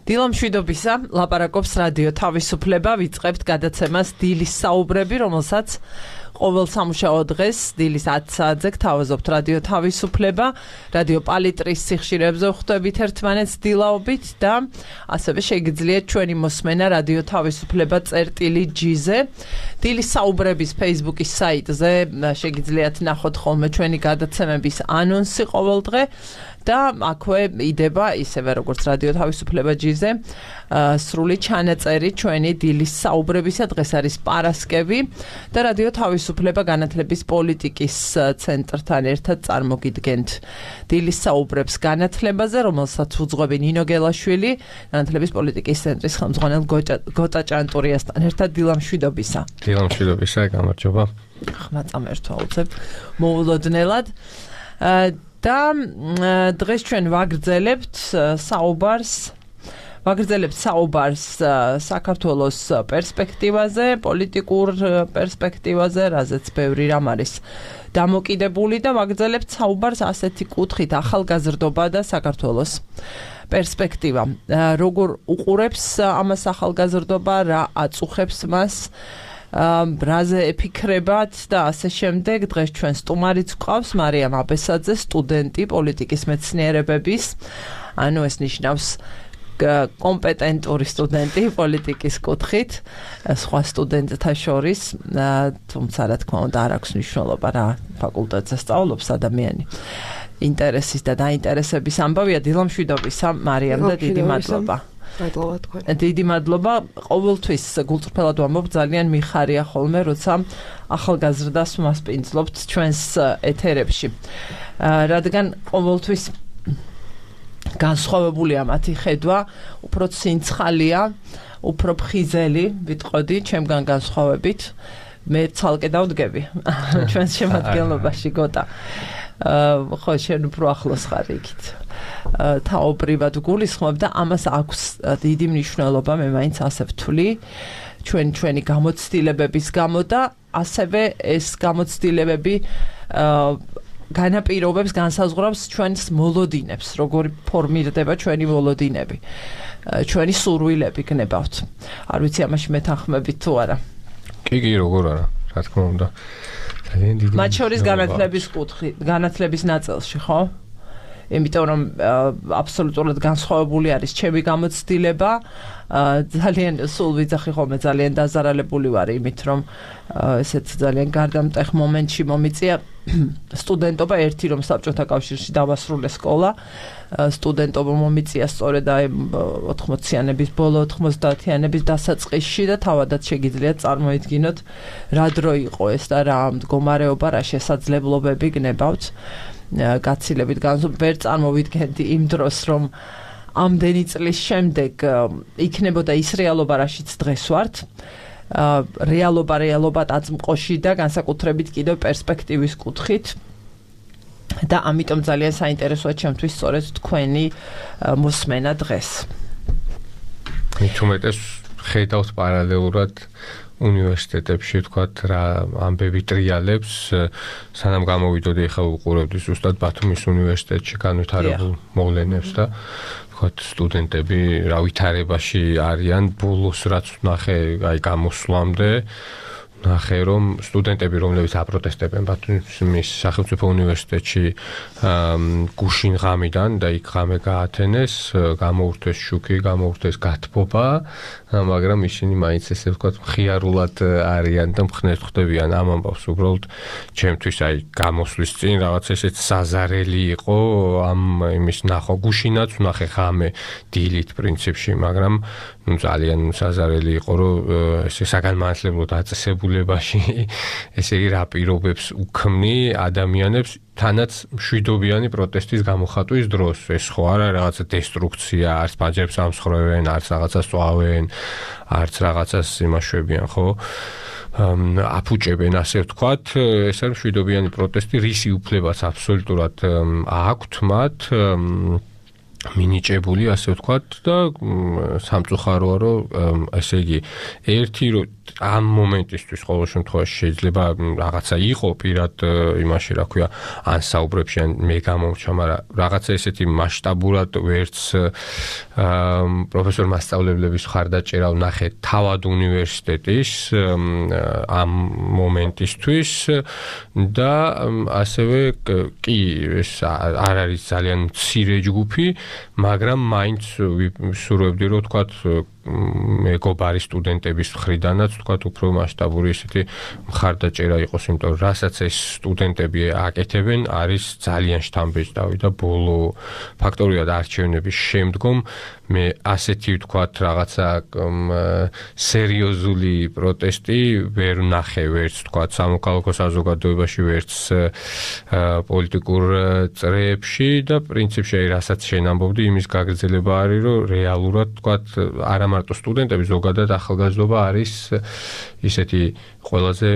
დილამშვიდობისა, ლაპარაკობს რადიო თავისუფლება, ვიწყებთ გადაცემას დილის საუბრები, რომელსაც ყოველ სამუშაო დღეს დილის 10 საათზე გთავაზობთ რადიო თავისუფლება, რადიო პალიტრის სიხშირეებზე ვხვდებით ერთმანეთს დილაობით და ასევე შეგიძლიათ ჩვენი მოსმენა რადიო თავისუფლება წერტილი.g-ზე. დილის საუბრების Facebook-ის საიტზე შეგიძლიათ ნახოთ ხოლმე ჩვენი გადაცემების ანონსი ყოველ დღე. და აქვე იდება ისევე როგორც რადიო თავისუფლება G-ზე სრული ჩანაწერი ჩვენი დილის საუბრებისა. დღეს არის პარასკევი და რადიო თავისუფლება განათლების პოლიტიკის ცენტრთან ერთად წარმოგიდგენთ დილის საუბრებს განათლებაზე, რომელსაც უძღვები ნინო გელაშვილი, განათლების პოლიტიკის ცენტრის ხელმძღვანელ გოტა ჭანტურიასთან ერთად. დილამშვიდობისა. დილამშვიდობისა, გამარჯობა. ხმა წამერთვალწებ მოულოდნელად. და დღეს ჩვენ ვაგრძელებთ საუბარს საქართველოს პერსპექტივაზე, პოლიტიკურ პერსპექტივაზე, რაზეც ბევრი რამ არის დამოკიდებული და ვაგრძელებთ საუბარს ასეთი კუთხით ახალგაზრდობა და საქართველოს პერსპექტივა. როგორ უყურებს ამას ახალგაზრდობა, რა აწუხებს მას, რაზე ეფიქრებათ და ასე შემდეგ. დღეს ჩვენ სტუმარიც გვყავს მარიამ აბესაძე, სტუდენტი პოლიტიკის მეცნიერებების, ანუ ეს ნიშნავს კომპეტენტური სტუდენტი პოლიტიკის კუთხით, სხვა სტუდენტთა შორის, თუმცა რა თქმა უნდა არ აქვს მნიშვნელობა რა ფაკულტეტზე სწავლობს ადამიანი. ინტერესის და დაინტერესების ამბავია. დილამშვიდობისა მარიამ და დიდი მადლობა. დიდი მადლობა. ყოველთვის გულწრფელად ვამბობ, ძალიან მიხარია ხოლმე, როცა ახალგაზრდას მასპინძლობთ ჩვენს ეთერებში. რადგან ყოველთვის განსხვავებულია მათი ხედვა, უფრო ცინცხალია, უფრო ფხიზელი, ვიტყოდი, ჩემგან განსხვავებით. მე ცალკე დავდგები ჩვენს შემადგენლობაში გოტა. ხო, შენ უფრო ახლოს ხარ იქით. თაობრივად გულისხმობ და ამას აქვს დიდი მნიშვნელობა, მე მაინც ასე ვთვლი, ჩვენი გამოცდილებების გამო და ასევე ეს გამოცდილებები განაპირობებს, განსაზღვრავს ჩვენს მოლოდინებს, როგორი ფორმირდება ჩვენი მოლოდინები, ჩვენი სურვილები გნებავთ. არ ვიცი ამაში მეთანხმებით თუ არა. კი, როგორ არა, რა თქმა უნდა. ძალიან დიდი. მათ შორის განათლების კუთხი, განათლების ნაწილში, ხო? იმიტომ რომ აბსოლუტურად განსხვავებული არის ჩემი გამოცდილება. ძალიან სულ ვიძახი ხოლმე, ძალიან დაზარალებული ვარ იმით, რომ ესეც ძალიან გარდამტეხ მომენტში მომიწია სტუდენტობა. ერთი რომ საბჭოთა კავშირში დავასრულე სკოლა, სტუდენტობა მომიწია სწორედ აი 80-იანების ბოლო 90-იანების დასაწყისში და თავადაც შეგიძლიათ წარმოიდგინოთ რა დრო იყო ეს და რა მდგომარეობა, რა შესაძლებლობები გნებავთ. გაცილებით ვერ წარმოვიდგენდი იმ დროს, რომ ამდენი წლის შემდეგ იქნებოდა ის რეალობა, რაშიც დღეს ვართ. რეალობა დაწმყოში და განსაკუთრებით კიდევ პერსპექტივის კუთხით. და ამიტომ ძალიან საინტერესოა ჩემთვის სწორედ თქვენი მოსმენა დღეს. მithumetes ხედავთ პარალელურად უნივერსიტეტებში, თქვათ, რა ამბები ტრიალებს, სანამ გამოვიდოდი, ახლა ვუყურებდი ზუსტად ბათუმის უნივერსიტეტში განვითარებულ მოვლენებს და თქვათ, სტუდენტები რა ვითარებაში არიან, ბოლოს რაც ვნახე, აი გამოსვლამდე ნახე, რომ სტუდენტები, რომლებიც აპროტესტებენ ბათუმის სახელმწიფო უნივერსიტეტში გუშინ ღამიდან და იქ ღამე გაათენეს, გამოურთეს შუქი, გამოურთეს გათბობა, მაგრამ ისინი მაინც ესე ვთქვათ, მხიარულად არიან და მხნეს ხვდებიან ამ ამბავს. უბრალოდ ჩემთვის აი გამოსვლის წინ რაღაც ესეც საზარელი იყო ამ იმის ნახვა. გუშინაც ვნახე ღამე დილით პრინციპში, მაგრამ ძალიან საზარელი იყო, რომ ესე საგანმანათლებლო დაწესებულებაში ესე იგი რა პირობებს უქმნი ადამიანებს თანაც მშვიდობიანი პროტესტის გამოხატვის დროს. ეს ხო არა რაღაცა დესტრუქცია, არც პანჯერებს ამსხრევენ, არც რაღაცას წვავენ, არც რაღაცას იმაშვებიან, ხო? აფუჭებენ, ასე ვთქვათ, ეს არის მშვიდობიანი პროტესტი, რისი უფლებაც აბსოლუტურად აქვთ მათ. მინიჭებული, ასე ვთქვათ და სამწუხაროა, რომ ესე იგი ერთი რომ ამ მომენტისთვის ყოველ შემთხვევაში შეიძლება რაღაცა იყო პირად იმაში, რა ქვია, ან საუბრებში, ან მე გამომრჩა, მაგრამ რაღაცა ესეთი მასშტაბურად ვერც პროფესორ მასწავლებლების ხარდაჭერა ვნახე თავად უნივერსიტეტის ამ მომენტისთვის და ასევე კი ეს არ არის ძალიან მცირე ჯგუფი, მაგრამ მაინც ვსურვებდი, რომ თქვათ მეგობარი სტუდენტების მხრიდანაც თქვათ უფრო მასშტაბური ესეთი მხარდაჭერა იყოს, იმიტომ რომ რასაც ეს სტუდენტები აკეთებენ, არის ძალიან შთამბეჭდავი და ბოლო ფაქტორიად არჩევნების შემდგომ მე ასეთი ვთქვათ რაღაცა სერიოზული პროტესტი ვერ ვნახე, ვერც თქვათ სამოქალაქო საზოგადოებაში, ვერც პოლიტიკურ წრეებში და პრინციპში რასაც შენ ამბობდი, იმის გაგრძელება არის, რომ რეალურად თქვათ არა მარტო სტუდენტები, ზოგადად ახალგაზრდობა არის ისეთი ყველაზე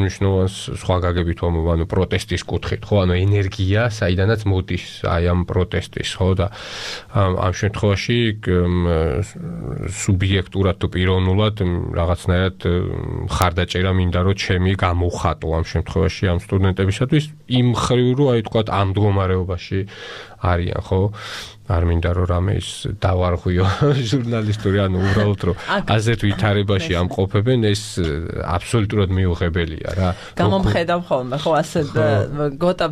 მნიშვნელოვანი სხვა გაგებით ვამბობ, ანუ პროტესტის კუთხით, ხო, ანუ ენერგია, საიდანაც მოდის აი ამ პროტესტის, ხო, და ამ შემთხვევაში სუბიექტურად თუ პიროვნულად რაღაცნაირად ხარდაჭერა მინდა, რომ ჩემი გამოვხატო ამ შემთხვევაში ამ სტუდენტებისათვის იმ ხრივ, რომ აი თქვათ ამ მდგომარეობაში არიან, ხო? არ მინდა რომ რამე ის დავარღვიო ჟურნალისტური, ანუ უბრალოდ რომ ასეთ ვითარებაში ამყოფებენ, ეს აბსოლუტურად მიუღებელია რა. გამომხედავ ხოლმე, ხო, ასეთ გოტა,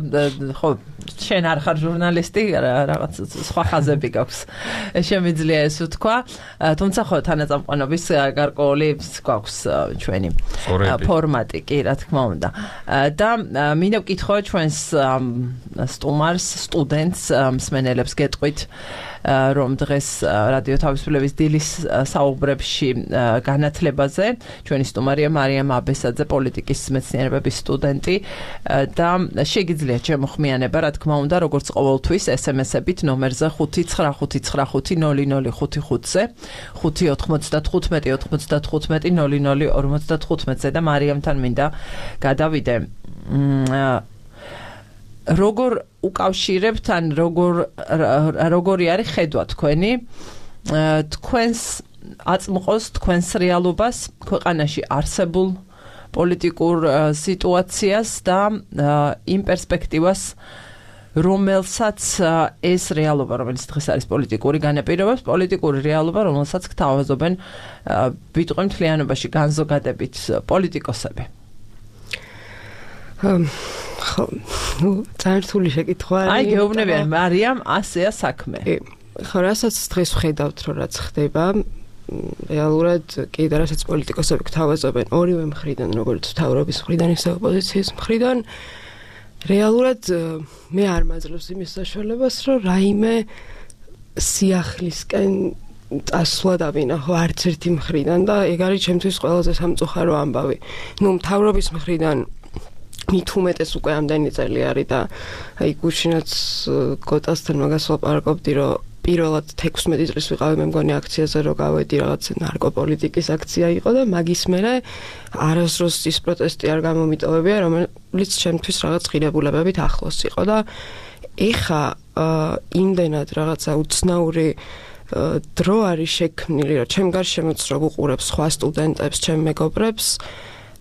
ხო, შენ არ ხარ ჟურნალისტი, რაღაც სხვა ხაზები გაქვს. შემიძლია ეს ვთქვა, თუმცა ხო თანაწამყვანობის გარკვეული გვაქვს ჩვენი ფორმატი, კი, რა თქმა უნდა. და მინდა ვკითხო ჩვენს სტუმარს, სტუდენტს, მსმენელებს გეტყვით, რომ დღეს რადიო თავისუფლების დილის საუბრებში განათლებაზე ჩვენი სტუმარია მარიამ აბესაძე, პოლიტიკის მეცნიერებების სტუდენტი და შეგიძლიათ შემოხმიანება, რა თქმა უნდა, როგორც ყოველთვის SMS-ებით ნომერზე 595500555-ზე 595-95-00-55-ზე და მარიამთან მინდა გადავიდე. როგორ უკავშირებთ, ან როგორი არის ხედვა თქვენი, თქვენს აწმყოს, თქვენს რეალობას, ქვეყანაში არსებულ პოლიტიკურ სიტუაციას და იმ პერსპექტივას, რომელსაც ეს რეალობა, რომელიც დღეს არის პოლიტიკური განაპირობებს, პოლიტიკური რეალობა, რომელსაც გთავაზობენ ვიტყვი მთლიანობაში განზოგადებით პოლიტიკოსები. ხო, ძალიან რთული შეკითხვა. აი, გეუბნებიან, მარიამ, ასეა საქმე. ხო, რასაც დღეს ვხედავთ, რომ რაც ხდება, რეალურად კი და რასაც პოლიტიკოსები გთავაზობენ ორივე მხრიდან, როგორც მთავრობის მხრიდან, ისე ოპოზიციის მხრიდან, რეალურად მე არ მაძლევს იმის საშუალებას, რომ რაიმე სიახლისკენ წასვლა დავინახო არც ერთი მხრიდან და ეგ არის ჩემთვის ყველაზე სამწუხარო ამბავი. ნუ მთავრობის მხრიდან მით უმეტეს უკვე ამდენი წელი არის და აი გუშინაც გოტასთან მაგას ვაპარაკობდი, რომ პირველად 16 წლის ვიყავი მე მგონი აქციაზე, რომ გავედი რაღაც ნარკოპოლიტიკის აქცია იყო და მაგის მერე არასდროს ის პროტესტი არ გამომიტოვებია, რომელიც ჩემთვის რაღაც ღირებულებებით ახლოს იყო და ეხა იმდენად რაღაცა უცნაური დრო არის შექმნილი, რომ ჩემ გარშემოც რო ვუყურებ სხვა სტუდენტებს, ჩემ მეგობრებს,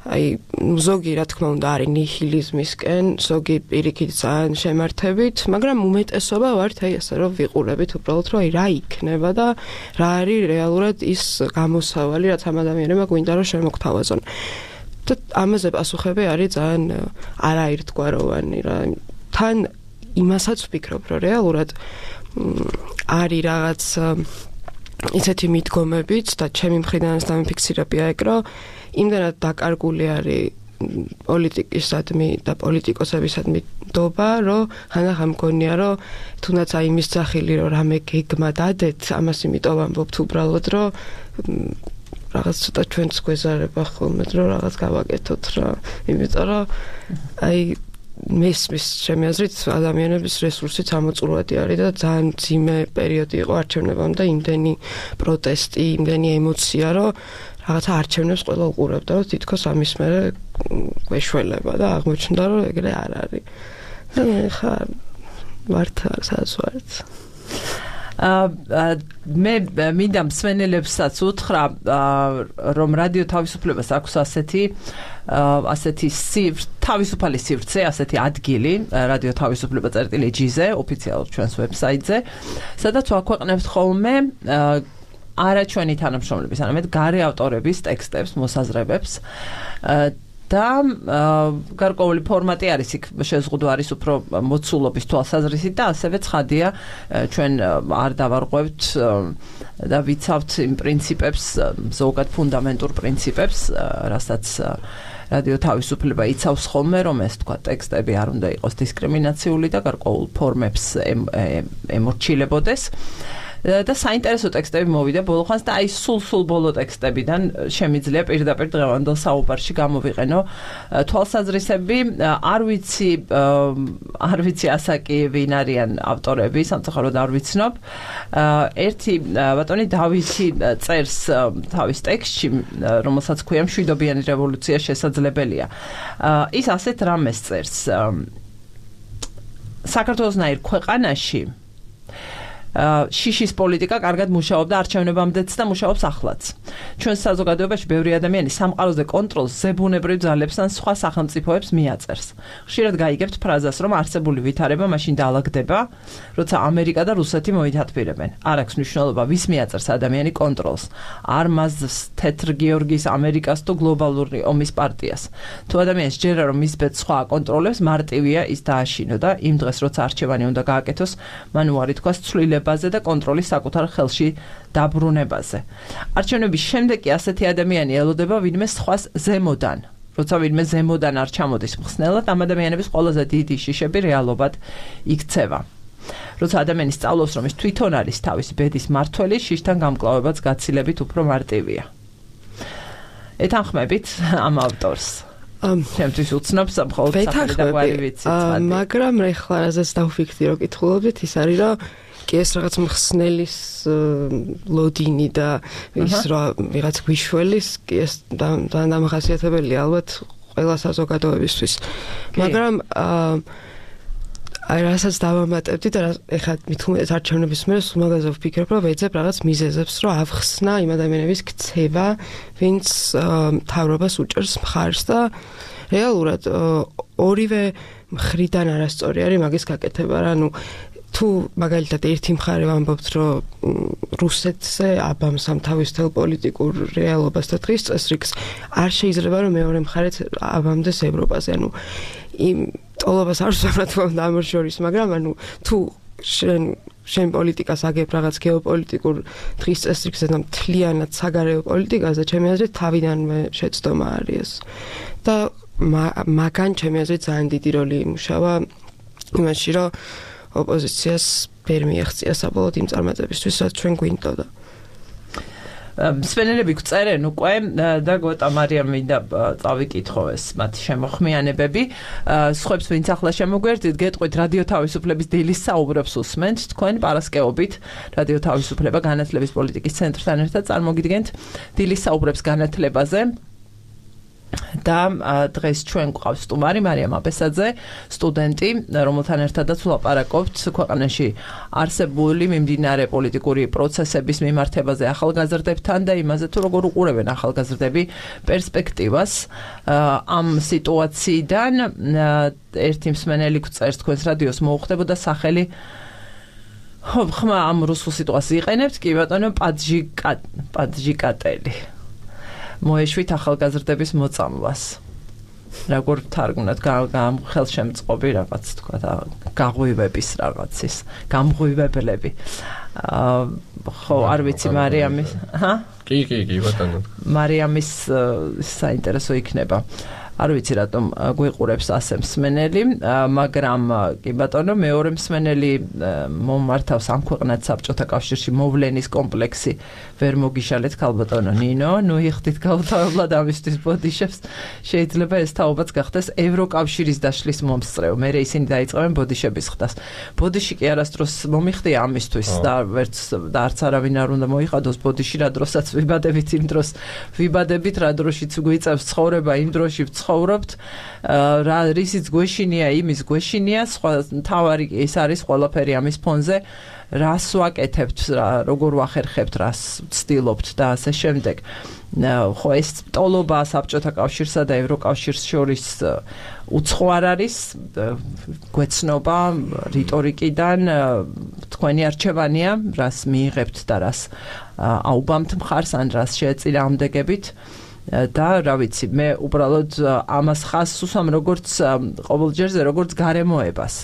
აი ზოგი რა თქმა უნდა არის ნიჰილიზმისკენ, ზოგი პირიქით ძალიან შემართებით, მაგრამ უმეტესობა ვართ აი ასე რომ ვიყურებით უბრალოდ რომ აი რა იქნება და რა არის რეალურად ის გამოსავალი, რაც ამ ადამიანებმა გვინდა რომ შემოგთავაზონ. და ამაზე პასუხები არის ძალიან არაერთგვაროვანი რა. თან იმასაც ვფიქრობ, რომ რეალურად არის რაღაც ისეთი მიდგომებიც და ჩემი მხრიდანაც დამიფიქსირებია ეგ, რომ იმდენად დაკარგული არის პოლიტიკისადმი და პოლიტიკოსებისადმი დობა, რომ ხანდახან მგონია, რომ თუნდაც აი იმის ძახილი, რომ რამე გეგმა დადეთ, ამას იმიტომ ვამბობთ უბრალოდ, რომ რაღაც ცოტა ჩვენც გვეზარება ხოლმე, რომ რაღაც გავაკეთოთ რა. იმიტომ რომ აი მესმის ჩემი აზრით ადამიანების რესურსი წამოწურვადი არის და ძალიან ძიმე პერიოდი იყო არჩევნებამდე და იმდენი პროტესტი, იმდენი ემოცია, რომ რაღაცა არჩევნებს ყველა უყურებდა, რომ თითქოს ამის მერე გვეშველება და აღმოჩნდა, რომ ეგრე არ არის. და ხა ვართ სადაც ვართ. მე მინდა მსმენელებსაც უთხრა რომ რადიო თავისუფლებას აქვს ასეთი თავისუფალი სივრცე, ასეთი ადგილი რადიო თავისუფლება.gz-ზე, ოფიციალურ ჩვენს ვებსაიტზე, სადაც ვაქვეყნებთ ხოლმე არა ჩვენი თანამშრომლების, არამედ გარე ავტორების ტექსტებს, მოსაზრებებს და გარკვეული ფორმატი არის იქ შეზღუდვა არის უფრო მოცულობის თვალსაზრისით და ასევე ცხადია ჩვენ არ დავარღვევთ და ვიცავთ იმ პრინციპებს, ზოგად ფუნდამენტურ პრინციპებს, რასაც რადიო თავისუფლება იცავს ხოლმე, რომ ეს თქვა ტექსტები არ უნდა იყოს დისკრიმინაციული და გარკვეულ ფორმებს ემორჩილებოდეს. და საინტერესო ტექსტები მოვიდა ბოლოხანს და აი სულ ბოლო ტექსტებიდან შემიძლია პირდაპირ დღევანდელ საუბარში გამოვიყენო თვალსაზრისები. არ ვიცი ასაკი ვინ არიან ავტორები, სამწუხაროდ არ ვიცნობ. ერთი ბატონი დავითი წერს თავის ტექსტში, რომელსაც ქვია მშვიდობიანი რევოლუცია შესაძლებელია. ის ასეთ რამეს წერს. საქართველოსნაირ ქვეყანაში შიშის პოლიტიკა კარგად მუშაობდა არჩევნებამდეც და მუშაობს ახლაც. ჩვენ საზოგადოებაში ბევრი ადამიანი სამყაროზე კონტროლს ზებუნებრივ ძალებს ან სხვა სახელმწიფოებს მიაწერს. ხშირად გაიგებთ ფრაზას, რომ არსებული ვითარება მაშინ დაალაგდება, როცა ამერიკა და რუსეთი მოითათბირებენ. არ აქვს მნიშვნელობა, ვის მიაწერს ადამიანი კონტროლს. არ მას თეთრ გიორგის ამერიკას თუ გლობალური ომის პარტიას. თუ ადამიანს ჯერა რომ მის ბედს სხვა აკონტროლებს, მარტივია ის დააშინო და იმ დღეს როცა არჩევანი უნდა გააკეთოს, მან უარი თქვას ცვლილებაზე და კონტროლის საკუთარ ხელში დაბრუნებაზე. არჩევნების შემდეგ კი ასეთი ადამიანი ელოდება ვინმე სხვას ზემოდან. როცა ვინმე ზემოდან არ ჩამოდის მხსნელად, ამ ადამიანების ყველაზე დიდი შიშები რეალობად იქცევა. როცა ადამიანი სწავლობს, რომ ის თვითონ არის თავისი ბედის მართველი, შიშთან გამკლავებაც გაცილებით უფრო მარტივია. ეთანხმებით ამ ავტორს. ჩემთვის უცნობს მხოლოდ სახელი და გვარი ვიცით. მაგრამ ეხლა რაზეც დავფიქრდი რომ კითხულობდით, ის არის რომ კი ეს რაღაც მხსნელის ლოდინი და ის რა ვიღაც გვიშველის კი ეს დამახასიათებელია ალბათ ყველა საზოგადოებისთვის. მაგრამ აი რასაც დავამატებდი და ეხლა მithumetes არჩევნების მერე სულ მაგაზე ვფიქრობ, რომ ვეძებ რაღაც მიზეზებს, რომ ავხსნა იმ ადამიანების ქცევა, ვინც მთავრობას უჭერს მხარს და რეალურად ორივე მხრიდან არასწორი არის მაგის გაკეთება, ანუ თუ მაგალითად ერთი მხარე ვამბობთ, რომ რუსეთზე აბამს ამ თავისთავად პოლიტიკურ რეალობას და დღის წესრიგს, არ შეიძლება რომ მეორე მხარეც აბამდეს ევროპაზე, ანუ იმ ტოლობას არ ვსვამრად ამერ შორის, მაგრამ ანუ თუ შენ პოლიტიკას აგებ რაღაც გეოპოლიტიკურ დღის წესრიგზე და მთლიანად საგარეო პოლიტიკაზე, ჩემი აზრით თავიდანვე შეცდომა არის ეს. და მაგან ჩემი აზრით ძალიან დიდი როლი იმუშავა იმაში, რომ ოპოზიციას ვერ მიაღწია საბოლოოდ იმ წარმატებისთვის, რაც ჩვენ გვინდოდა. მსმენელები გწერენ უკვე და გოტა მარიამ მინდა წავიკითხო ეს მათი შემოხმიანებები. სხვებს ვინც ახლა შემოგვერდით, გეტყვით რადიო თავისუფლების დილის საუბრებს უსმენთ, თქვენ პარასკევობით რადიო თავისუფლება განათლების პოლიტიკის ცენტრთან ერთად წარმოგიდგენთ დილის საუბრებს განათლებაზე. და დღეს ჩვენ გვყავს სტუმარი მარიამ აბესაძე, სტუდენტი, რომელთან ერთადაც ვლაპარაკობთ ქვეყანაში არსებული მიმდინარე პოლიტიკური პროცესების მიმართებაზე ახალგაზრდებთან და იმაზე თუ როგორ უყურებენ ახალგაზრდები პერსპექტივას ამ სიტუაციიდან. ერთი მსმენელი გწერს თქვენს რადიოს მოუხდებოდა სახელი ხმა ამ რუსულ სიტუაციას იყენებთ, კი ბატონო, პაძჟიკატელი. მოეშვით ახალგაზრდების მოწამვას. როგორ ვთარგმნათ ხელშემწყობი რაღაც თქვა და გაღვივების რაღაცის, გამღვივებლები. ხო, არ ვიცი მარიამის, კი, ბატონო. მარიამის საინტერესო იქნება. არ ვიცი რატომ გვიყურებს ასე მსმენელი, მაგრამ კი ბატონო, მეორე მსმენელი მომართავს ამ ქვეყნად საბჭოთა კავშირში მოვლენის კომპლექსი ვერ მოგიშალეთ ქალბატონო ნინო, ნუ იხდით გაუთავებლად ამისთვის ბოდიშებს, შეიძლება ეს თაობაც გახდეს ევროკავშირის დაშლის მომსწრეო, მერე ისინი დაიწყებენ ბოდიშების ხდას. ბოდიში კი არასდროს მომიხდია ამისთვის და არც არავინ არ უნდა მოიხადოს ბოდიში, რა დროსაც ვიბადებით იმ დროს ვიბადებით, რა დროშიც გვიწევს ცხოვრება, იმ დროში ცხოვრობთ რისიც გვეშინია იმის გვეშინია სხვა თავარი ეს არის ყველაფერი ამის ფონზე რას ვაკეთებთ როგორ ვახერხებთ რას ვცდილობთ და ასე შემდეგ ხო ეს ტოლობა საბჭოთა კავშირსა და ევროკავშირს შორის უცხო არ არის გვეცნობა რიტორიკიდან თქვენი არჩევანია რას მიიღებთ და რას აუბამთ მხარს ან რას შეეწინააღმდეგებით და რა ვიცი მე უბრალოდ ამას ხაზს უსვამ როგორც ყოველჯერზე როგორც გარემოებას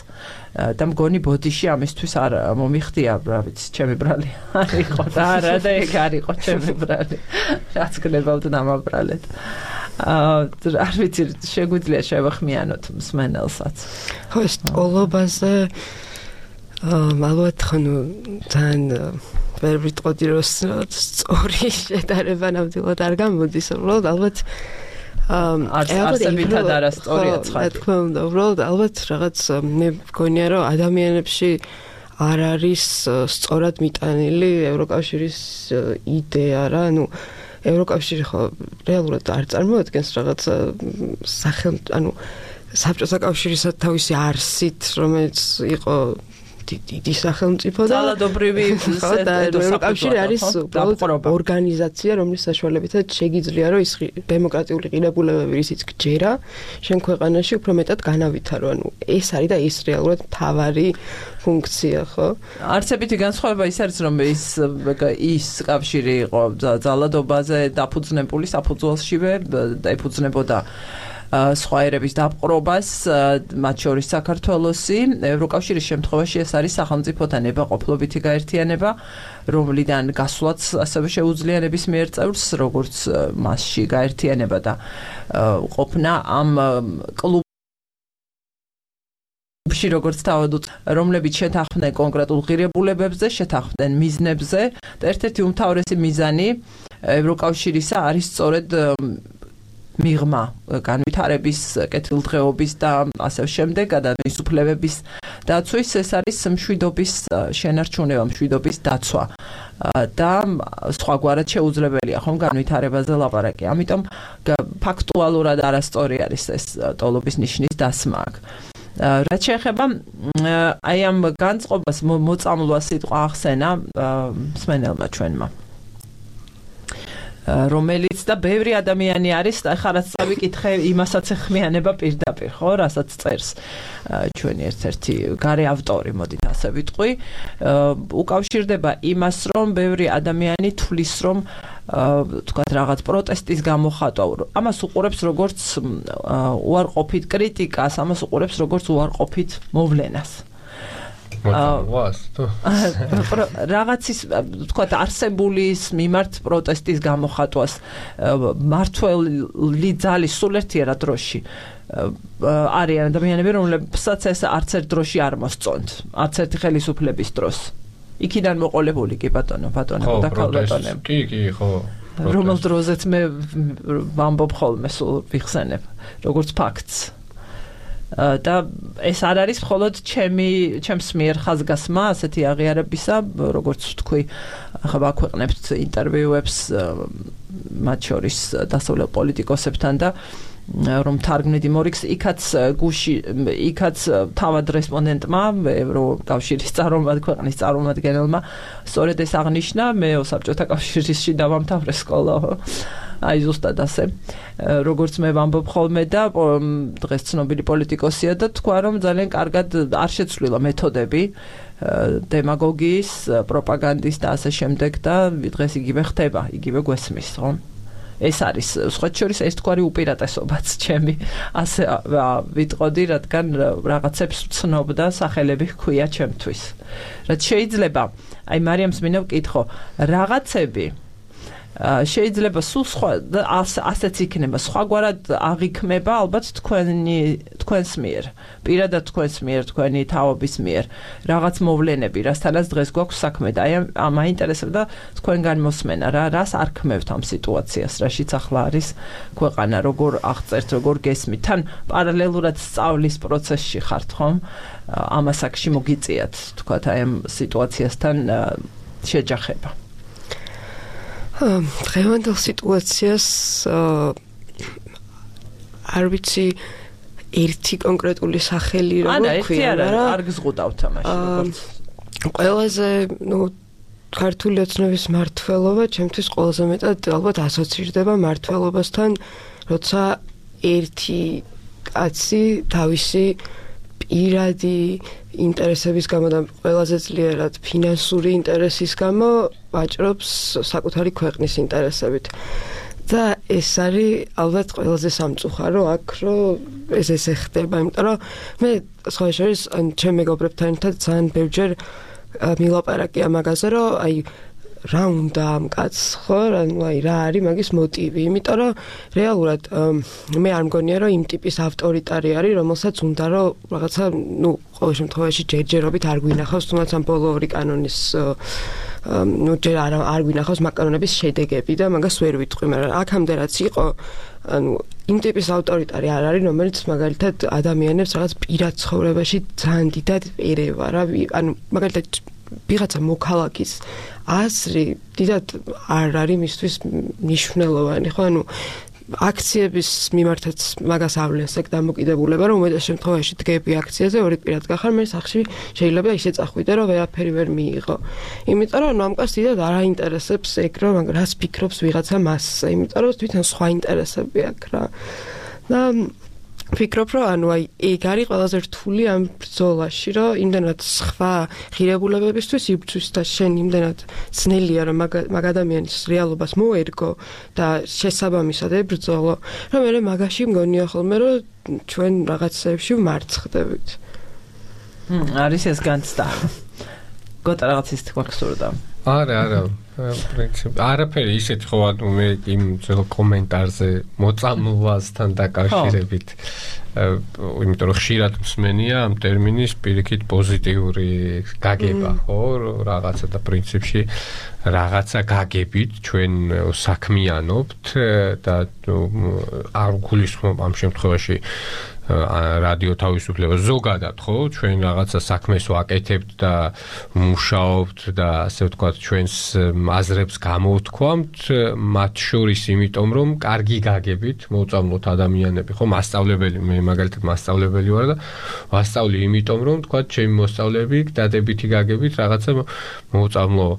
და მგონი ბოდიში ამისთვის არ მომიხდია რა ვიცი ჩემი ბრალი არ იყო და არა და ეგ არ იყო ჩემი ბრალი რაც გნებავთ დამაბრალეთ არ ვიცი შეგვიძლია შევახმიანოთ მსმენელსაც ხო ეს ტოლობაზე ალბათ ხანუ თან ვერ ვიტყოდი რომ სწორი შედარება ნამდვილად არ გამოდის უბრალოდ ალბათ არსებითად არასწორია ცხადია თქმა უნდა უბრალოდ ალბათ რაღაც მე მგონია რომ ადამიანებში არ არის სწორად მიტანილი ევროკავშირის იდეა რა ანუ ევროკავშირი ხო რეალურად არ წარმოადგენს რაღაც ანუ საბჭოთა კავშირისა თავისი არსით რომელიც იყო დიდი სახელმწიფო და ძალადობრივი ევროკავშირი არის ორგანიზაცია რომლის საშუალებითაც შეგიძლია რომ ის დემოკრატიული ღირებულებები რისიც გჯერა შენ ქვეყანაში უფრო მეტად განავითარო ანუ ეს არის და ის რეალურად მთავარი ფუნქცია ხო არსებითი განსხვავება ის არის რომ ის კავშირი იყო ძალადობაზე დაფუძნებული საფუძველშივე და ეფუძნებოდა სხვა ერების დაპყრობას მათ შორის საქართველოსი ევროკავშირის შემთხვევაში ეს არის სახელმწიფოთა ნებაყოფლობითი გაერთიანება რომლიდან გასვლაც ასევე შეუძლია ნებისმიერ წევრს როგორც მასში გაერთიანება და ყოფნა ამ კლუბში როგორც თავად რომლებიც შეთანხმდნენ კონკრეტულ ღირებულებებზე შეთანხმდნენ მიზნებზე და ერთ-ერთი უმთავრესი მიზანი ევროკავშირისა არის სწორედ მიღმა განვითარების კეთილდღეობის და ასე შემდეგ ადამიანის უფლებების დაცვის ეს არის მშვიდობის შენარჩუნება მშვიდობის დაცვა და სხვაგვარად შეუძლებელია ხომ განვითარებაზე ლაპარაკი ამიტომ ფაქტუალურად არასწორი არის ეს ტოლობის ნიშნის დასმა აქ რაც შეეხება აი ამ განწყობას მოწამლვა სიტყვა ახსენა მსმენელმა ჩვენმა რომელიც და ბევრი ადამიანი არის, ახლა რაც წავიკითხე, იმასაც ეხმიანება პირდაპირ, ხო, რასაც წერს ჩვენი ერთ-ერთი გარე ავტორი, მოდით ასე ვიტყვი, უკავშირდება იმას, რომ ბევრი ადამიანი თვლის, რომ თქვათ რაღაც პროტესტის გამოხატვა, ამას უყურებს როგორც უარყოფით კრიტიკას, ამას უყურებს როგორც უარყოფით მოვლენას. რაღაცის თქვათ არსებულის მიმართ პროტესტის გამოხატვას მართველი ძალის სულ ერთია რა დროში არიან ადამიანები რომლებსაც ეს არც ერთ დროში არ მოსწონთ არც ერთი ხელისუფლების დროს იქიდან მოყოლებული კი ბატონო და ქალბატონები კი ხო რომელ დროზეც მე ვამბობ ხოლმე სულ ვიხსენებ როგორც ფაქტს და ეს არ არის მხოლოდ ჩემს მიერ ხაზგასმა ასეთი აღიარებისა როგორც ვთქვი ახლა ვაქვეყნებთ ინტერვიუებს მათ შორის დასავლელ პოლიტიკოსებთან და რომ თარგმნით იმორიქს იქაც თავად რესპონდენტმა ევროკავშირის ქვეყნის წარმომადგენელმა სწორედ ეს აღნიშნა მე საბჭოთა კავშირში დავამთავრე სკოლა აი ზუსტად ასე როგორც მე ვამბობ ხოლმე და დღეს ცნობილი პოლიტიკოსია და თქვა რომ ძალიან კარგად არ შეცვლილა მეთოდები დემაგოგიის პროპაგანდის და ასე შემდეგ და დღეს იგივე ხდება იგივე გვესმის ხო ეს არის სხვა შორის ერთგვარი უპირატესობაც ჩემი ასე ვიტყოდი რადგან რაღაცებს ვცნობ და სახელები ჰქვია ჩემთვის რაც შეიძლება აი მარიამს მინდა ვკითხო რაღაცები შეიძლება სულ სხვა ასეც იქნება სხვაგვარად აღიქმება ალბათ თქვენს მიერ პირადად თქვენს მიერ თქვენი თაობის მიერ რაღაც მოვლენები რასთანაც დღეს გვაქვს საქმე და აი მაინტერესებდა თქვენგან მოსმენა რას არქმევთ ამ სიტუაციას რაშიც ახლა არის ქვეყანა როგორ აღწერთ როგორ გესმით თან პარალელურად სწავლის პროცესში ხართ ხომ ამ ასაკში მოგიწიათ თქვათ აი ამ სიტუაციასთან შეჯახება დღევანდელ სიტუაციას არ ვიცი ერთი კონკრეტული სახელი რა გვქვია, მაგრამ არ გზღუდავთ ამაში როგორც ყველაზე ქართული ოცნების მმართველობა ჩემთვის ყველაზე მეტად ალბათ ასოცირდება მმართველობასთან, როცა ერთი კაცი თავისი პირადი ინტერესების გამო და ყველაზეძლიერად ფინანსური ინტერესის გამო ვაჭრობს საკუთარი ქვეყნის ინტერესებით. და ეს არის ალბათ ყველაზე სამწუხარო აქ, რომ ეს ხდება, იმიტომ რომ მე სხვა შორის ჩემ მეგობრებთან ერთად ძალიან ბევრჯერ მილაპარაკია მაგაზე, რომ აი რა უნდა ამ კაცს ხო, რა არის მაგის მოტივი, იმიტომ რომ რეალურად მე არ მგონია რომ იმ ტიპის ავტორიტარი არის, რომელსაც უნდა რომ რაღაცა ყოველ შემთხვევაში ჯერჯერობით არ გვინახავს, თუმცა ამ ბოლო ორი კანონის ჯერ არ გვინახავს მაკანონების შედეგები და მაგას ვერ ვიტყვი, მაგრამ აქამდე რაც იყო, იმ ტიპის ავტორიტარი არ არის, რომელიც მაგალითად ადამიანებს რაღაც პირად ცხოვრებაში ძალიან დიდად ერევა რა, მაგალითად ვიღაცა მოქალაქის აზრი დიდად არ არის მისთვის მნიშვნელოვანი, ხო? აქციების მიმართაც მაგას ავლენს ეგ დამოკიდებულება, რომ უმეტეს შემთხვევაში დგები აქციაზე, ორი პირად გახარ, მე სახში შეიძლება ისე წახვიდე, რომ ვერაფერი ვერ მიიღო. იმიტომ რომ ამ კაცს დიდად არ აინტერესებს ეგ, რომ რას ფიქრობს ვიღაცა მასზე, იმიტომ რომ თვითონ სხვა ინტერესები აქვს რა. და ვფიქრობ, რომ ეგ არის ყველაზე რთული ამ ბრძოლაში, რომ იმდენად სხვა ღირებულებებისთვის იბრძვის და შენ იმდენად ძნელია, რომ მაგ ადამიანის რეალობას მოერგო და შესაბამისად ებრძოლო, რომ მე მაგაში მგონია ხოლმე, რომ ჩვენ რაღაცეებში ვმარცხდებით. არის ეს განცდა. გოთა რაღაც ის თქვა გსურდა. არა, პრინციპი არაფერი ისეთ ხო მე იმ ძველ კომენტარზე მოწამვლასთან დაკავშირებით იმიტომ რომ ხშირად მსმენია ამ ტერმინის პირიქით პოზიტიური გაგება ხო რაღაცა და პრინციპში რაღაცა გაგებით ჩვენ საქმიანობთ და არ გულისხმობ ამ შემთხვევაში რადიო თავისუფლება ზოგადად ხო ჩვენ რაღაცა საქმეს ვაკეთებთ და მუშაობთ და ასე ვთქვათ ჩვენს აზრებს გამოვთქვამთ მათ შორის იმიტომ რომ კარგი გაგებით მოწამლოთ ადამიანები ხო მასწავლებელი მე მაგალითად მასწავლებელი ვარ და ვასწავლი იმიტომ რომ ვთქვათ ჩემი მოსწავლეები დადებითი გაგებით რაღაცა მოწამლო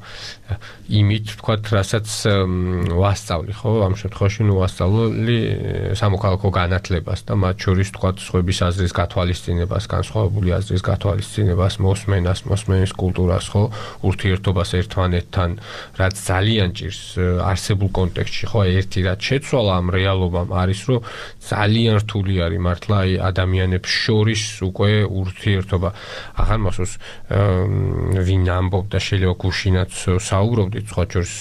იმით ვთქვათ რასაც ვასწავლი ხო ამ შემთხვევაში ვასწავლი სამოქალაქო განათლებას და მათ შორის ვთქვათ სხვების აზრის გათვალისწინებას, განსხვავებული აზრის გათვალისწინებას, მოსმენას, მოსმენის კულტურას, ხო, ურთიერთობას ერთმანეთთან, რაც ძალიან ჭირს არსებულ კონტექსტში, ხო, ერთი რაც შეცვალა ამ რეალობამ არის, რომ ძალიან რთული არის მართლა აი ადამიანებს შორის უკვე ურთიერთობა. აღარ მახსოვს ვინ ამბობდა შეიძლება გუშინაც საუბრობდით სხვა შორის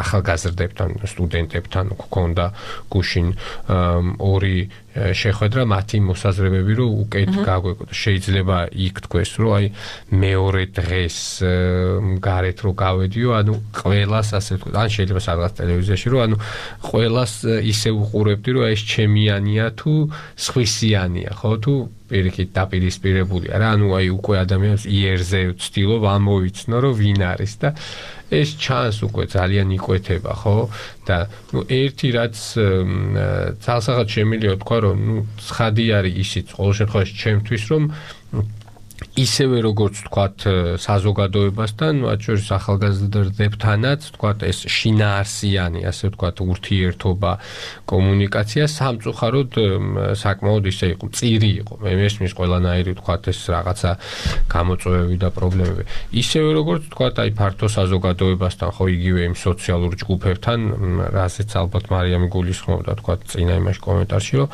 ახალგაზრდებთან, სტუდენტებთან გქონდა გუშინ ორი შეხვედრა მათი მოსაზრებები რომ უკეთ გაგვეკოდა შეიძლება იქ თქვეს რომ აი მეორე დღეს გარეთ რო გავედიო ანუ ყველას ასე ვთქვათ ან შეიძლება სადღაც ტელევიზიაში რომ ანუ ყველას ისე უყურებდი რომ ეს ჩემიანია თუ სხვისიანია ხო თუ პირიქით დაპირისპირებულია რა ანუ აი უკვე ადამიანს იერზე ვცდილობ ამოვიცნო რომ ვინ არის და ეს ჩანს უკვე ძალიან იკვეთება ხო და ნუ ერთი რაც ძალსაღად შემიძლია თქვა რომ ნუ ცხადი არის ისიც ყოველ შემთხვევაში ჩემთვის რომ ისევე როგორც ვთქვათ საზოგადოებასთან, მათ შორის ახალგაზრდებთანაც, ვთქვათ ეს შინაარსიანი, ასე ვთქვათ, ურთიერთობა, კომუნიკაცია სამწუხაროდ საკმაოდ ისე იყო, წირი იყო. მე მესმის ყველანაირი ვთქვათ ეს რაღაცა გამოწვევები და პრობლემები. ისევე როგორც ვთქვათ, აი ფართო საზოგადოებასთან, ხო, იგივე იმ სოციალურ ჯგუფებთან, რასაც ალბათ მარიამი გულისხმობდა, ვთქვათ, წინა იმაში კომენტარში, რომ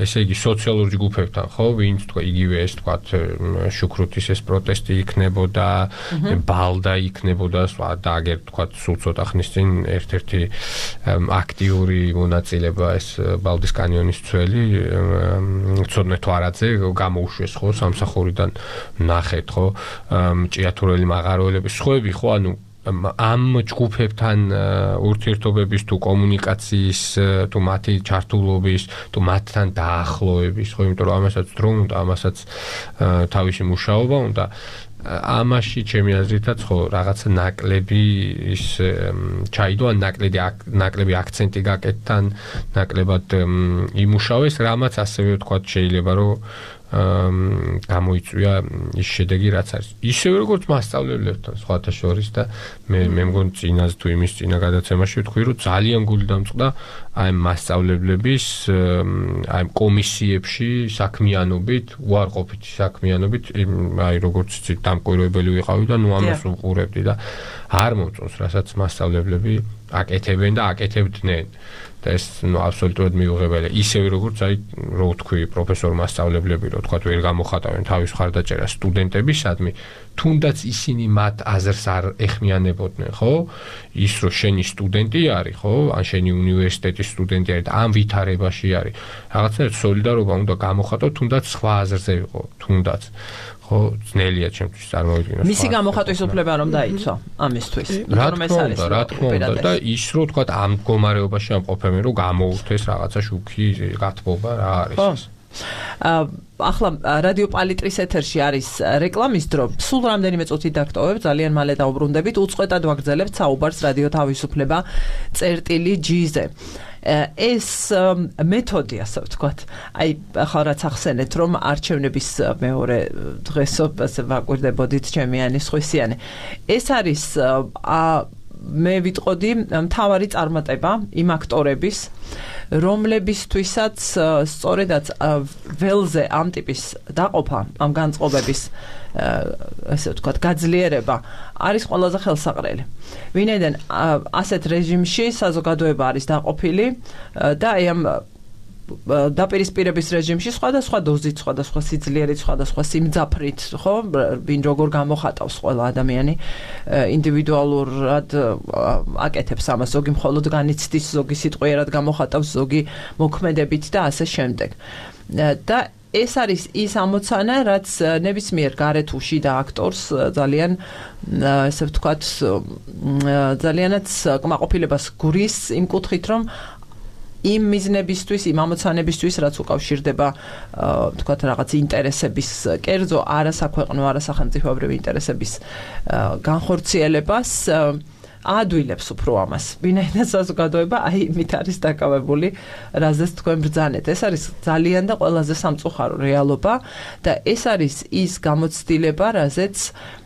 ესე იგი სოციალურ ჯგუფებთან, ხო, ვინც თქვა იგივე ეს ვთქვათ შუქრუთის ეს პროტესტი იქნებოდა, ბალდა იქნებოდა, და აგერ თქვათ სულ ცოტა ხნის წინ ერთ-ერთი აქტიური მონაწილეობა ეს ბალდის კანიონის ცველი ცოდნე თვარაძე გამოუშვეს ხო სამსახურიდან ნახეთ ხო ჭიათურელი მაღაროელების სხვები ხო ანუ ამ ჯგუფებთან ურთიერთობების თუ კომუნიკაციის თუ მათი ჩართულობის თუ მათთან დაახლოების ხო იმიტომ რომ ამასაც დრო უნდა ამასაც თავისი მუშაობა უნდა ამაში ჩემი აზრითაც ხო რაღაცა ნაკლები ის ჩაიდო ან ნაკლები აქცენტი გაკეთთან ნაკლებად იმუშავეს, რამაც ასევე ვთქვათ შეიძლება რომ გამოიწვია ის შედეგი რაც არის. ისევე როგორც მასწავლებლებთან სხვათა შორის და მე მგონი წინას თუ იმის წინა გადაცემაში ვთქვი რომ ძალიან გული დამწყდა აი მასწავლებლების აი კომისიებში საქმიანობით, უარყოფითი საქმიანობით, აი როგორც იცით დამკვირვებელი ვიყავი და ნუ ამას უყურებდი და არ მომწონს, რასაც მასწავლებლები აკეთებენ და აკეთებდნენ. და ეს აბსოლუტურად მიუღებელია. ისევე როგორც აი რო ვთქვი პროფესორ მასწავლებლები რო თქვა ვერ გამოხატავენ თავის ხარდაჭერას სტუდენტებისადმი, თუნდაც ისინი მათ აზრს არ ეხმიანებოდნენ, ხო? ის რო შენი სტუდენტი არის, ხო? ან შენი უნივერსიტეტის სტუდენტი არის და ამ ვითარებაში არის. რაღაცნაირად სოლიდარობა უნდა გამოხატო, თუნდაც სხვა აზრზე ვიყო, თუნდაც. ხო, ძნელია ჩემთვის წარმოვიდგინო. მისი გამოხატვის უფლება რომ დაიცვა ამისთვის. რა თქმა უნდა და ის რო თქვა ამ მდგომარეობაში ამ ყოფემენ რომ გამოუშვეს რაღაცა შუქი გათბობა რა არის ეს. ახლა რადიო პალიტრის ეთერში არის რეკლამის დრო. სულ რამდენიმე წუთი დაგტოვებ, ძალიან მალე დავბრუნდებით. უწყვეტად ვაგრძელებთ საუბარს რადიო თავისუფლება წერტილი-G-ზე. ეს მეთოდი, ასე ვთქვათ, აი ახლა რაც ახსენეთ, რომ არჩევნების მეორე დღესო ვაკვირდებოდით ჩემიანი სხვისიანი. ეს არის მე ვიტყოდი მთავარი წარმატება იმ აქტორების, რომლებისთვისაც სწორედაც ველზე ამ ტიპის დაყოფა, ამ განწყობების ასე ვთქვათ, გაძლიერება არის ყველაზე ხელსაყრელი. ვინაიდან ასეთ რეჟიმში საზოგადოება არის დაყოფილი და აი ამ დაპირისპირების რეჟიმში სხვადასხვა დოზით, სხვადასხვა სიძლიერით, სხვადასხვა სიმძაფრით, ხო, ვინ როგორ გამოხატავს ყველა ადამიანი ინდივიდუალურად აკეთებს ამას, ზოგი მხოლოდ განიცდის, ზოგი სიტყვიერად გამოხატავს, ზოგი მოქმედებით და ასე შემდეგ. და ეს არის ის ამოცანა, რაც ნებისმიერ გარეთ უშიდა აქტორს ძალიან ასე ვთქვათ, ძალიანაც კმაყოფილებას გვრის იმ კუთხით, რომ იმ მიზნებისთვის, იმ ამოცანებისთვის, რაც უკავშირდება, ვთქვათ, რაღაც ინტერესების კერძო, არასაქვეყნო, არასახელმწიფოებრივი ინტერესების განხორციელებას აადვილებს უფრო ამას. ვინაიდან საზოგადოება აი იმით არის დაკავებული, რაზეც თქვენ ბრძანეთ. ეს არის ძალიან და ყველაზე სამწუხარო რეალობა და ეს არის ის გამოცდილება, რაზეც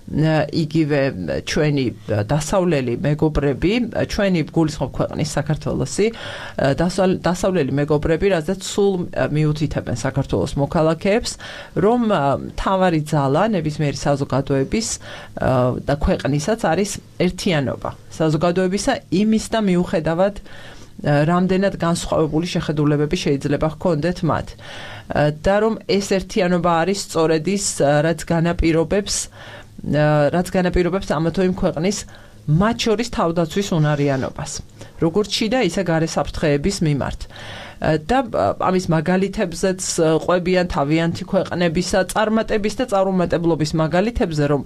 იგივე ჩვენი დასავლელი მეგობრები, ჩვენი გულისხმობ ქვეყნის საქართველოსი, დასავლელი მეგობრები, რაზეც სულ მიუთითებენ საქართველოს მოქალაქეებს, რომ მთავარი ძალა ნებისმიერი საზოგადოების და ქვეყნისაც არის ერთიანობა. საზოგადოებისა იმის და მიუხედავად რამდენად განსხვავებული შეხედულებები შეიძლება ჰქონდეთ მათ. და რომ ეს ერთიანობა არის სწორედ ის, რაც განაპირობებს ამა თუ იმ ქვეყნის მათ შორის თავდაცვის უნარიანობას. როგორც შიდა, ისე გარე საფრთხეების მიმართ. და ამის მაგალითებზეც ყვებიან თავიანთი ქვეყნებისა წარმატების და წარუმატებლობის მაგალითებზე, რომ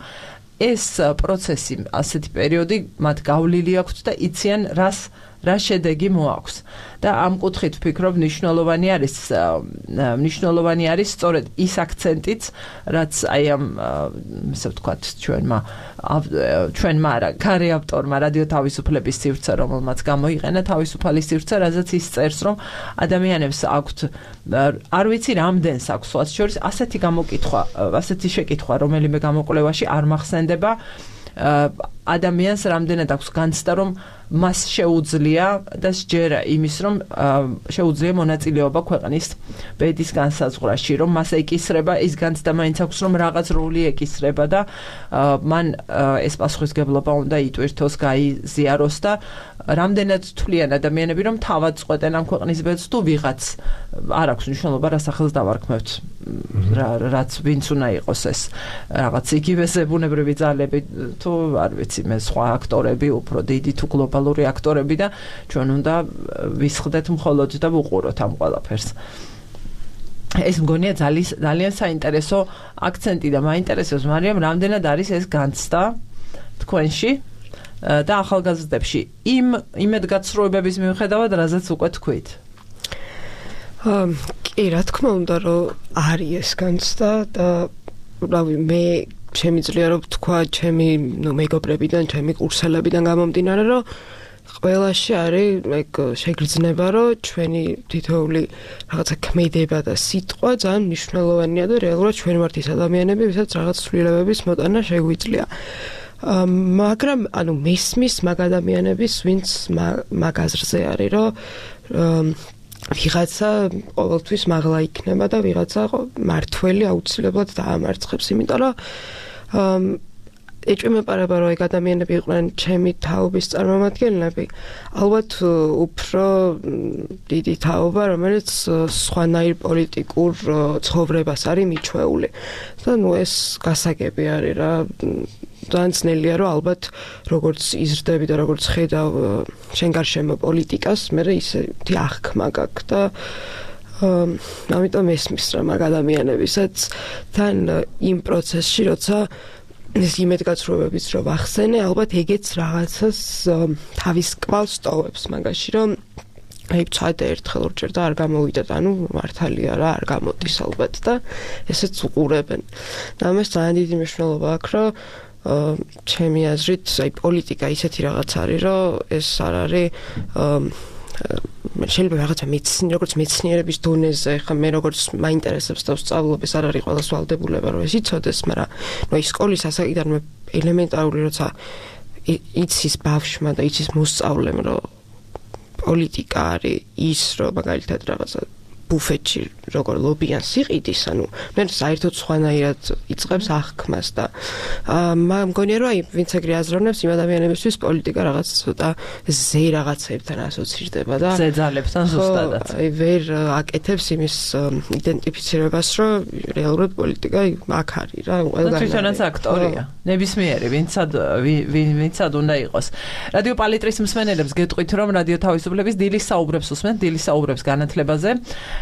ეს პროცესი, ასეთი პერიოდი მათ გავლილი აქვთ და იციან რა შედეგი მოაქვს. და ამ კუთხით ვფიქრობ, მნიშვნელოვანი არის სწორედ ის აქცენტიც, რაც აი ამ ასე ვთქვათ, ჩვენმა არა, გარე ავტორმა რადიო თავისუფლების სივრცე, რომელმაც გამოიყენა თავისუფალი სივრცე, რაზეც ის წერს, რომ ადამიანებს აქვთ, არ ვიცი რამდენს აქვს სხვათა შორის, ასეთი გამოკითხვა, ასეთი შეკითხვა, რომელიმე გამოკვლევაში არ მახსენდება, ადამიანს რამდენად აქვს განცდა, რომ მას შეუძლია და სჯერა იმის, რომ შეუძლია მონაწილეობა ქვეყნის ბედის განსაზღვრაში, რომ მას ეკისრება, ის განცდა მაინც აქვს, რომ რაღაც როლი ეკისრება და მან ეს პასუხისგებლობა უნდა იტვირთოს, გაიზიაროს და რამდენად თვლიან ადამიანები, რომ თავად წყვეტენ ამ ქვეყნის ბედს თუ ვიღაც არ აქვს მნიშვნელობა, რა სახელს დავარქმევთ, რაც ვინც უნდა იყოს ეს რაღაც იგივე ზებუნებრივი ძალები თუ არ ვიცი მე სხვა აქტორები, უფრო დიდი თუ გლობალური აქტორები და ჩვენ უნდა ვისხდეთ მხოლოდ და ვუყუროთ ამ ყველაფერს. ეს მგონია ძალიან საინტერესო აქცენტი და მაინტერესებს, მარიამ, რამდენად არის ეს განცდა თქვენში და ახალგაზრდებში იმ იმედგაცრუებების მიუხედავად, რაზეც უკვე თქვით. კი, რა თქმა უნდა, რომ არის ეს განცდა და რავი, მე შემიძლია რომ თქვა ჩემი მეგობრებიდან, ჩემი კურსელებიდან გამომდინარე, რომ ყველაში არის ეგ შეგრძნება, რომ ჩვენი თითოეული რაღაცა ქმედება და სიტყვა ძალიან მნიშვნელოვანია და რეალურად ჩვენ ვართ ის ადამიანები, ვისაც რაღაც ცვლილებების მოტანა შეგვიძლია. მაგრამ ანუ მესმის მაგ ადამიანების, ვინც მაგ აზრზე არის, რომ ვიღაცა ყოველთვის მაღლა იქნება და ვიღაცა მართველი აუცილებლად დაამარცხებს, იმიტომ რომ ეჭვმეპარება რომ ეგ ადამიანები იყვნენ ჩემი თაობის წარმომადგენლები, ალბათ უფრო დიდი თაობა, რომელიც სხვანაირ პოლიტიკურ ცხოვრებას არის მიჩვეული. და ეს გასაგები არის რა. ძალიან ძნელია რომ ალბათ როგორც იზრდები და როგორც ხედავ შენ გარშემო პოლიტიკას, მე ისეთი აღქმა გაქვს და ამიტომ ესმის რა მაგ ადამიანებისაც თან იმ პროცესში როცა ეს იმედგაცრუებებიც რომ ახსენე, ალბათ ეგეც რაღაცას თავის კვალს ტოვებს მაგაში, რომ აი ცოტა ერთხელ ორჯერ და არ გამოვიდა, ანუ მართალია რა, არ გამოდის ალბათ და ესეც უყურებენ. და ამას ძალიან დიდი მნიშვნელობა აქვს, რომ ჩემი აზრით, აი პოლიტიკა ისეთი რაღაც არის, რომ ეს არ არის შეიძლება რაღაცა როგორც მეცნიერების დონეზე, ხა მე როგორც მაინტერესებს და ვსწავლობ, ეს არ არის ყველას ვალდებულება, რომ ეს იცოდეს, მაგრამ ნუ ის სკოლის ასაკიდან ელემენტარული როცა იცის ბავშვმა და იცის მოსწავლემ, რომ პოლიტიკა არის ის, რომ მაგალითად რაღაცა ბუფეტში როგორ ლობიან სიყიდის, ანუ მე საერთოდ სხვანაირად იწყებს აღქმას და მგონია რომ აი ვინც ეგრე აზროვნებს იმ ადამიანებისთვის პოლიტიკა რაღაც ცოტა ზე რაღაცებთან ასოცირდება და ზეძალებთან ზუსტადად. აი ვერ აკეთებს იმის იდენტიფიცირებას, რომ რეალურად პოლიტიკა აქ არის რა, ყველგან. თვითონაც აქტორია. ნებისმიერი ვინცად უნდა იყოს. რადიო პალიტრის მსმენელებს გეტყვით, რომ რადიო თავისუფლების დილის საუბრებს უსმენთ, დილის საუბრებს განათლებაზე,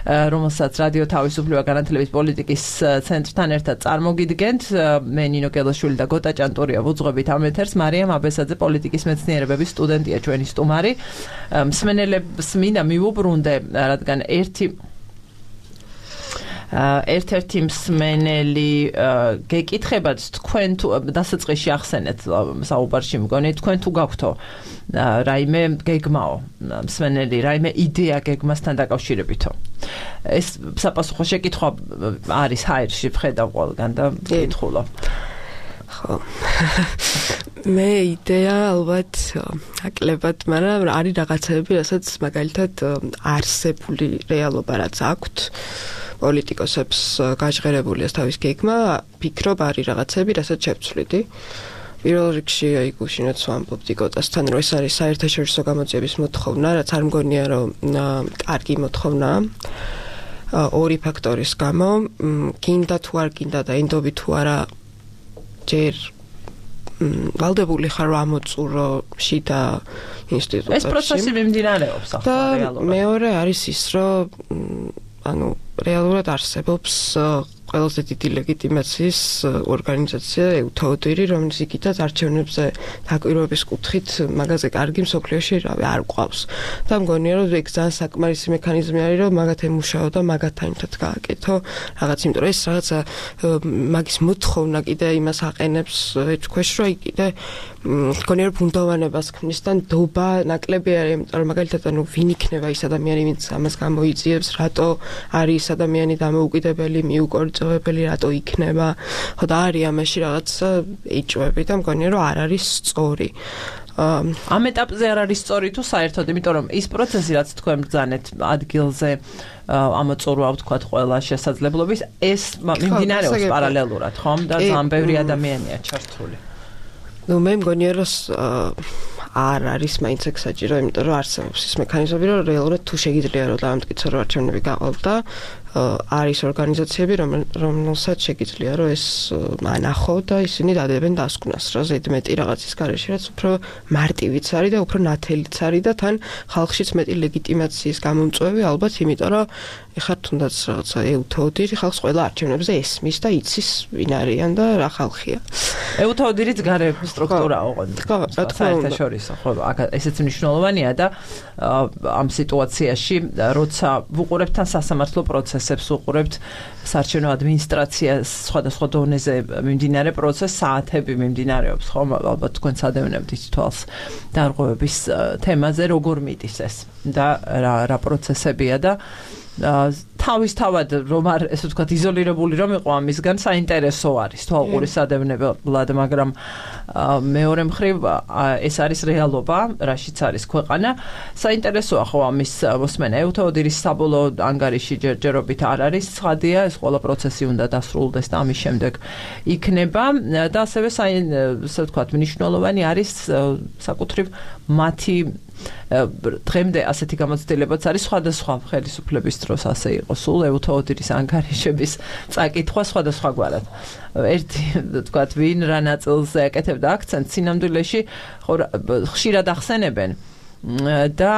რომელსაც რადიო თავისუფლება განათლების პოლიტიკის ცენტრთან ერთად წარმოგიდგენთ. მე ნინო გელაშვილი და გოტა ჭანტურია ვუძღვებით ამ ეთერს. მარიამ აბესაძე პოლიტიკის მეცნიერებების სტუდენტია ჩვენი სტუმარი. მსმენელებს მინდა მივუბრუნდე, რადგან ერთ-ერთი მსმენელი გეკითხებათ, თქვენ თუ დასაწყისში ახსენეთ საუბარში მგონი, თქვენ თუ გაქვთო რაიმე გეგმაო, მსმენელი რაიმე იდეა გეგმასთან დაკავშირებითო. ეს საპასუხო შეკითხვა არის ჰაერში, ვხედავ ყველგან და ვკითხულობ. ხო. მე იდეა ალბათ აკლებად, მაგრამ არის რაღაცები, რასაც მაგალითად არსებული რეალობა რაც აქვთ. პოლიტიკოსებს გაჟღერებული ეს თავის გეგმა, ფიქრობ არის რაღაცები, რასაც შევცვლიდი. პირველ რიგში აი გუშინაც ვამბობდი გოტასთან, რომ ეს არის საერთაშორისო გამოძიების მოთხოვნა, რაც არ მგონია რომ კარგი მოთხოვნაა. ორი ფაქტორის გამო, გინდა თუ არ გინდა და ენდობი თუ არა ჯერ ვალდებული ხარ რომ ამოწურო შიდა ინსტიტუტებში. ეს პროცესი მიმდინარეობს ახლა რეალურად. მეორე არის ის, რომ ანუ რეალურად არსებობს ყველაზე დიდი ლეგიტიმაციის ორგანიზაცია EUTODIR, რომელიც იქითაც არჩევნებზე დაკვირვების კუთხით მაგაზე კარგი მსოფლიოში არ გვყავს. და მგონია რომ ეგ ძალიან საკმარისი მექანიზმი არის, რომ მაგათ ემუშაო და მაგათთან ერთად გააკეთო რაღაც, იმიტომ რომ ეს რაღაცა მაგის მოთხოვნა კიდე იმას აყენებს თქვენს, რომ აი კიდე მგონია რომ ბუნდოვანებას ქმნის და ნდობა ნაკლები არის, იმიტომ რომ მაგალითად ანუ ვინ იქნება ის ადამიანი, ვინც ამას გამოიძიებს, რატო არის ის ადამიანი დამოუკიდებელი, მიუკორწოვებელი, რატო იქნება. ხო და არის ამაში რაღაცა ეჭვები და მგონია რომ არ არის სწორი. ამ ეტაპზე არ არის სწორი თუ საერთოდ, იმიტომ რომ ის პროცესი, რაც თქვენ ბრძანეთ ადგილზე ამოწურვა ვთქვათ ყველა შესაძლებლობის, ეს მიმდინარეობს პარალელურად, ხომ? და ძალიან ბევრი ადამიანია ჩართული. ნუ მე მგონია რომ არ არის მაინც ეგ საჭირო, იმიტომ რომ არსებობს ის მექანიზმები, რომ რეალურად თუ შეგიძლია რომ დაამტკიცო რომ არჩევნები გაყოლდა, არის ორგანიზაციები, რომელსაც შეგიძლია რომ ეს ანახო და ისინი დადებენ დასკვნას, რა ზედმეტი რაღაცის გარეშე, რაც უფრო მარტივიც არის და უფრო ნათელიც არის და თან ხალხშიც მეტი ლეგიტიმაციის გამომწვევი, ალბათ, იმიტომ რომ ეხლა თუნდაც რაღაცა EUTODIR ხალხს ყველა არჩევნებზე ესმის და იცის ვინ არიან და რა ხალხია. EUTODIR-იც გარე სტრუქტურაა ოღონდ. ხო, რა თქმა უნდა. საერთაშორისო, ხო, ესეც მნიშვნელოვანია და ამ სიტუაციაში, როცა ვუყურებთ თან სასამართლო პროცესს ინტერესებს უყურებთ საარჩევნო ადმინისტრაციას სხვადასხვა დონეზე მიმდინარე პროცესს საათები მიმდინარეობს ხომ ალბათ თქვენ სადევნებთ თვალს დარღვევების თემაზე როგორ მიდის ეს და რა პროცესებია და თავისთავად რომ არ ესე ვთქვათ იზოლირებული რომ იყო ამისგან საინტერესო არის თვალყურის სადევნებლად მაგრამ მეორე მხრივ ეს არის რეალობა რაშიც არის ქვეყანა საინტერესოა ხო ამის მოსმენა ევთოოდირის საბოლოო ანგარიში ჯერჯერობით არ არის ცხადია ეს ყველა პროცესი უნდა დასრულდეს და ამის შემდეგ იქნება და ასევე ესე ვთქვათ მნიშვნელოვანი არის საკუთრივ მათი დღემდე ასეთი გამოცდილებაც არის სხვადასხვა ხელისუფლების დროს ასე იყო სულ ევთოოდირის ანგარიშების წაკითხვა სხვადასხვაგვარად ერთი თქვათ ვინ რა ნაწილზე აკეთებდა აქცენტს სინამდვილეში ხშირად ახსენებენ და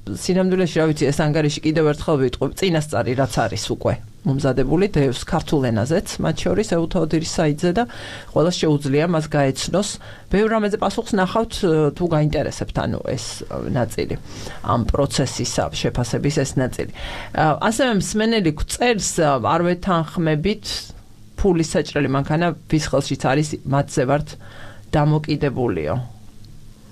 სინამდვილეში რა ვიცი ეს ანგარიში კიდევ ერთხელ ვიტყვი წინასწარი რაც არის უკვე მომზადებული დევს ქართულ ენაზეც მათ შორის ევთოოდირის საიტზე და ყველას შეუძლია მას გაეცნოს ბევრ რამეზე პასუხს ნახავთ თუ გაინტერესებთ ანუ ეს ნაწილი ამ პროცესის შეფასების ეს ნაწილი ასევე მსმენელი წერს არ ვეთანხმებით ფულის საჭრელი მანქანა ვის ხელშიც არის მათზე ვართ დამოკიდებულიო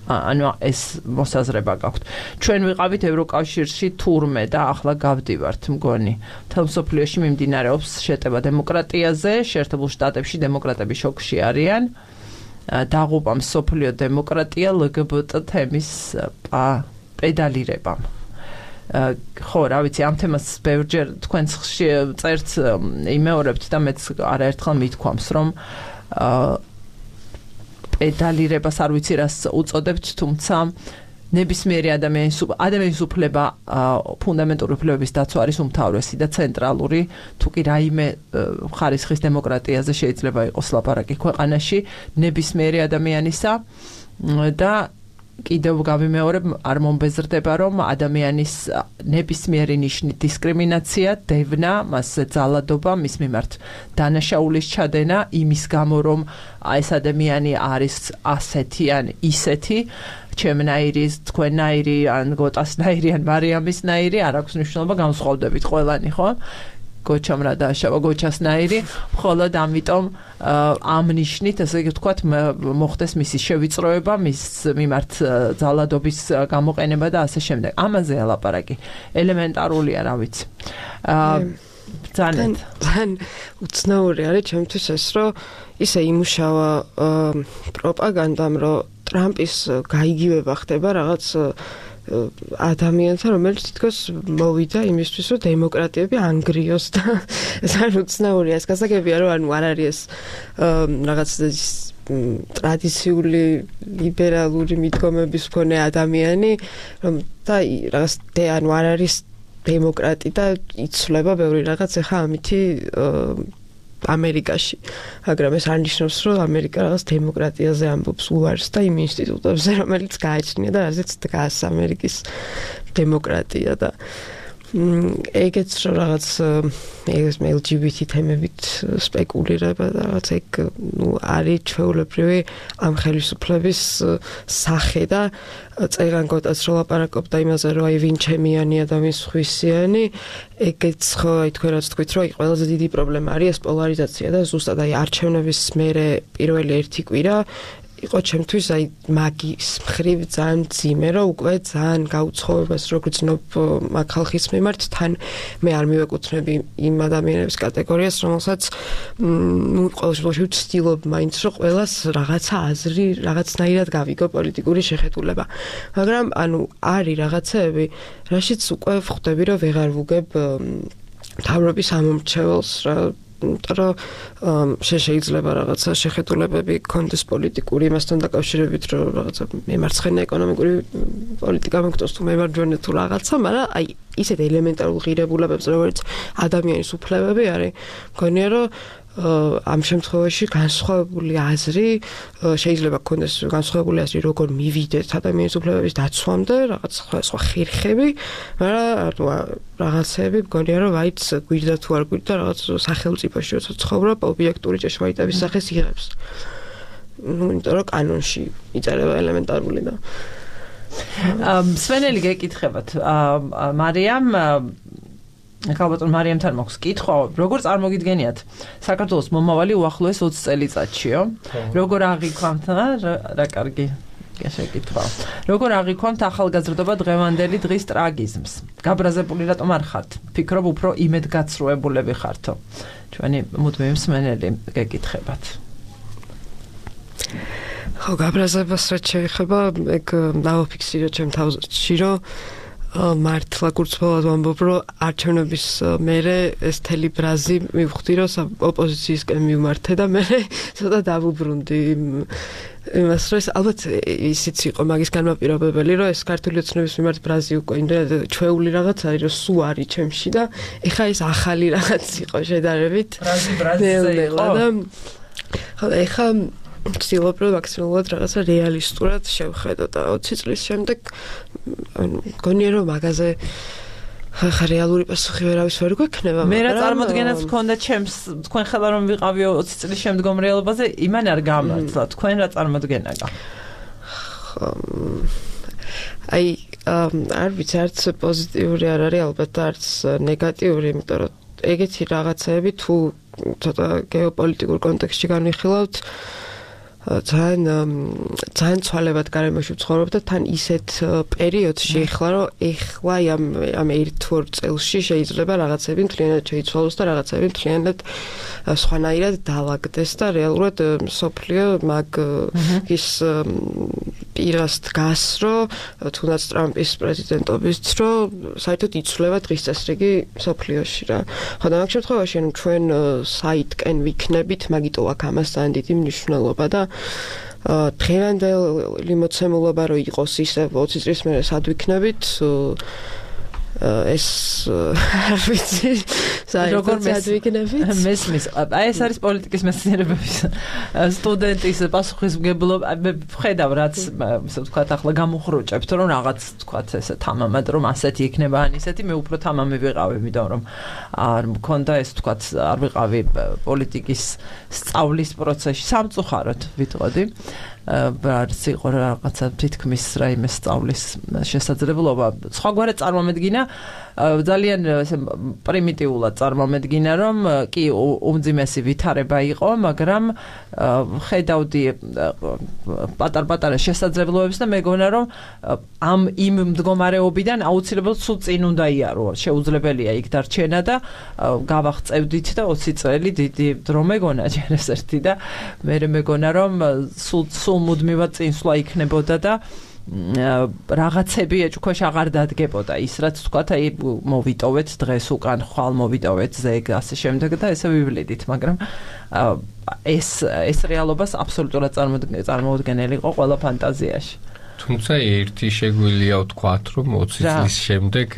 ანუ ეს მოსაზრება გაქვთ. ჩვენ ვიყავით ევროკავშირში თურმე და ახლა გავდივართ მგონი. მთელ მსოფლიოში მიმდინარეობს შეტევა დემოკრატიაზე, შეერთებულ შტატებში დემოკრატები შოკში არიან. დაღუპა მსოფლიო დემოკრატია LGBT თემის პედალირებამ. ხო, რა ვიცი, ამ თემას ბევრჯერ თქვენ წერთ იმეორებთ და მეც არაერთხელ მithქვამს, რომ პედალირებას არ ვიცი რას უწოდებთ, თუმცა ნებისმიერი ადამიანის უფლება ფუნდამენტური უფლებების დაცვა არის უმთავრესი და ცენტრალური, თუ კი რაიმე ხარისხის დემოკრატიაზე შეიძლება იყოს ლაპარაკი ქვეყანაში, ნებისმიერი ადამიანისა და კიდევ გავიმეორებ, არ მომბეზრდება, რომ ადამიანის ნებისმიერი ნიშნით დისკრიმინაცია, დევნა, მასზე ძალადობა, მის მიმართ დანაშაულის ჩადენა, იმის გამო, რომ ეს ადამიანი არის ასეთი ან ისეთი, ჩემნაირი, თქვენნაირი, ან გოტასნაირი, ან მარიამისნაირი, არ აქვს მნიშვნელობა, განსხვავდებით ყველანი, ხო? გოჩამ რა დააშავა გოჩასნაირი, მხოლოდ ამიტომ ამ ნიშნით, ასე ვთქვათ, მოხდეს მისი შევიწროება, მის მიმართ ძალადობის გამოყენება და ასე შემდეგ. ამაზეა ლაპარაკი. ელემენტარულია, რა ვიცი. ძალიან უცნაური არის ჩემთვის ეს, რომ ისე იმუშავა პროპაგანდამ, რომ ტრამპის გაიგივება ხდება რაღაც ადამიანთან, რომელიც თითქოს მოვიდა იმისთვის, რომ დემოკრატიები ანგრიოს და ძალიან უცნაურია ეს გასაგებია, რომ ანუ არ არის ეს რაღაც ტრადიციული ლიბერალური მიდგომების მქონე ადამიანი, რომ და რაღაც ანუ არ არის დემოკრატი და იცვლება ბევრი რაღაც ახლა ამითი ამერიკაში. მაგრამ ეს არნიშნავს, რომ ამერიკა რაღაც დემოკრატიაზე ამბობს უარს და იმ ინსტიტუტებზე, რომელიც გააჩნია და რაზეც დგას ამერიკის დემოკრატია და ეგეც რომ რაღაც LGBT თემებით სპეკულირება და რაღაც ეგ არის ჩვეულებრივი ამ ხელისუფლების სახე და წერან გოტაც რომ ლაპარაკობდა იმაზე, რომ აი ვინ ჩემიანი ადამიანის ხვისიანი, ეგეც ხო აი თქვენ რაც თქვით, რომ აი ყველაზე დიდი პრობლემა არის ეს პოლარიზაცია და ზუსტად აი არჩევნების მერე პირველი ერთი კვირა იყო ჩემთვის აი მაგის მხრივ ძალიან ძიმე, რომ უკვე ძალიან გაუცხოვებას რო გრძნობ მაგ ხალხის მიმართ, თან მე არ მივეკუთვნები იმ ადამიანების კატეგორიას, რომელსაც ყოველ შემთხვევაში ვცდილობ მაინც რომ ყველას რაღაცა აზრი, რაღაცნაირად გავიგო პოლიტიკური შეხედულება. მაგრამ ანუ არის რაღაცეები, რაშიც უკვე ვხვდები, რომ ვეღარ ვუგებ მთავრობის ამომრჩეველს რა რომ შეიძლება რაღაცა შეხედულებები კონდეს პოლიტიკური იმასთან დაკავშირებით, რომ რაღაცა მემარცხენე ეკონომიკური პოლიტიკა მოგწონს თუ მემარჯვენე თუ რაღაცა, მაგრამ აი ისეთ ელემენტარულ ღირებულებებს, როგორც ადამიანის უფლებები არის, მგონია რომ ამ შემთხვევაში განსხვავებული აზრი შეიძლება გქონდეს განსხვავებული აზრი როგორ მივიდეთ ადამიანის უფლებების დაცვამდე, რაღაც სხვა ხერხები, მაგრამ რაღაცები მგონია რომ აიც გვირდა თუ არ გვირდა რაღაც სახელმწიფოში როცა ცხოვრობ ობიექტური ჭეშმარიტების სახეს იღებს. იმიტომ რომ კანონში იწერება ელემენტარული და სვენელი გეკითხებათ მარიამ ალბათ მარიამთან მაქვს კითხვა, როგორ წარმოგიდგენიათ საქართველოს მომავალი უახლოეს 20 წელიწადშიო? როგორ აღიქვამთ რა კარგი შეკითხვა. როგორ აღიქვამთ ახალგაზრდობა დღევანდელი დღის ტრაგიზმს? გაბრაზებული რატომ არ ხართ? ფიქრობ უფრო იმედგაცრუებულები ხართო. ჩვენი მუდმივი მსმენელი გეკითხებათ. ხო, გაბრაზებას რაც შეეხება, ეგ დავაფიქსირო ჩემ თავში, რომ მართლა კურცბოლად ვამბობ, რომ არჩევნების მერე ეს თელი ბრაზი მივხვდი, რომ ოპოზიციისკენ მივმართე და მე ცოტა დავუბრუნდი იმას, რომ ალბათ ისიც იყო მაგის განმაპირობებელი, რომ ეს ქართული ოცნების მიმართ ბრაზი უკვე იმდენად ჩვეული რაღაც არის, რომ სულ არის ჩემში და ეხა ეს ახალი რაღაც იყო შედარებით. ბრაზი იყო. ხო, ეხა ვცდილობ, რომ მაქსიმალურად რაღაცა რეალისტურად შევხედო და 20 წლის შემდეგ მგონია, რომ მაგაზე ხა რეალური პასუხი ვერავის ვერ გვექნება. მე რა წარმოდგენაც მქონდა ჩემს თქვენ ხელა რომ ვიყავიო 20 წლის შემდგომ რეალობაზე, იმან არ გამართლა. თქვენ რა წარმოდგენა გაქვთ? აი, არ ვიცი, არც პოზიტიური არ არის, ალბათ არც ნეგატიური, იმიტომ რომ ეგეთი რაღაცები თუ ცოტა გეოპოლიტიკურ კონტექსტში განვიხილავთ, ძალიან ცვალებად გარემოში ვცხოვრობ და თან ისეთ პერიოდში ეხლა, რომ ეხლა ამ 1-2 წელში შეიძლება რაღაცები მთლიანად შეიცვალოს და რაღაცები მთლიანად სხვანაირად დაალაგდეს და რეალურად მსოფლიო მაგის პირას დგას, რომ თუნდაც ტრამპის პრეზიდენტობის დრო საერთოდ იცვლება დღის წესრიგი მსოფლიოში რა. ხო და მაგ შემთხვევაში ჩვენ საიტკენ ვიქნებით, მაგიტო აქ ამას ძალიან დიდი მნიშვნელობა და დღევანდელი მოცემულობა რო იყოს ისე 20 წლის მერე სად ვიქნებით ეს არ ვიცი როგორ ვიქნებით მესმის აი ეს არის პოლიტიკის მეცნიერებების სტუდენტის პასუხისმგებლობა მე ვხედავ რაც ისე ვთქვათ ახლა გამოხროჭებთ რომ რაღაც ვთქვათ ესე თამამად რომ ასეთი იქნება ან ისეთი მე უფრო თამამი ვიყავი იმიტომ რომ არ მქონდა ეს ვთქვათ არ ვიყავი პოლიტიკის სწავლის პროცესში სამწუხაროდ ვიტყოდი რაც იყო რაღაცა თითქმის რაიმე სწავლის შესაძლებლობა სხვაგვარად წარმომედგინა ძალიან პრიმიტიულად წარმომედგინა რომ კი უმძიმესი ვითარება იყო მაგრამ ხედავდი პატარ-პატარა შესაძლებლობებს და მეგონა რომ ამ იმ მდგომარეობიდან აუცილებლად სულ წინ უნდა იარო შეუძლებელია იქ დარჩენა და გავაღწევდით და 20 წელი დიდი დრო მეგონა ჯერ ეს ერთი და მე მეგონა რომ სულ მუდმივად წინსვლა იქნებოდა და რაღაცები ეჭქვეშ აღარ დადგებოდა ის რაც თქვათ აი მოვიტოვეთ დღეს უკან ხვალ მოვიტოვეთ ზეგ ასე შემდეგ და ესე ვივლიდით მაგრამ ეს რეალობას აბსოლუტურად წარმოუდგენელი იყო ყველა ფანტაზიაში თუმცა ერთი შეგვიძლია ვთქვათ რომ 20 წლის შემდეგ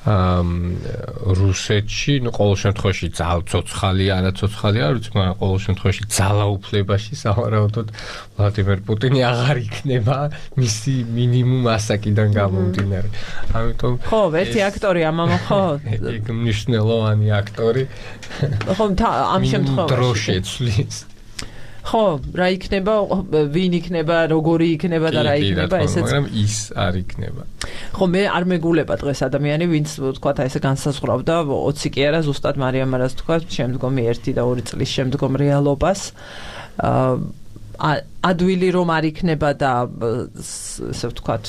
რუსეთში ყოველ შემთხვევაში ცოცხალი არა ცოცხალი არ ვიცი მაგრამ ყოველ შემთხვევაში ძალაუფლებაში სავარაუდოდ ვლადიმერ პუტინი აღარ იქნება მისი მინიმუმ ასაკიდან გამომდინარე ამიტომ ხო ერთი აქტორი ამამა ხო ეგ მნიშვნელოვანი აქტორი ხო ამ შემთხვევაში დრო შეცვლის ხო რა იქნება ვინ იქნება როგორი იქნება და რა იქნება ესეც მაგრამ ის არ იქნება ხო მე არ მეგულება დღეს ადამიანი ვინც თქვა ესე განსაზღვრავდა 20 კი არა ზუსტად მარიამ არას თქვა შემდგომი 1 და 2 წლის შემდგომ რეალობას ადვილი რომ არ იქნება და ესე ვთქვათ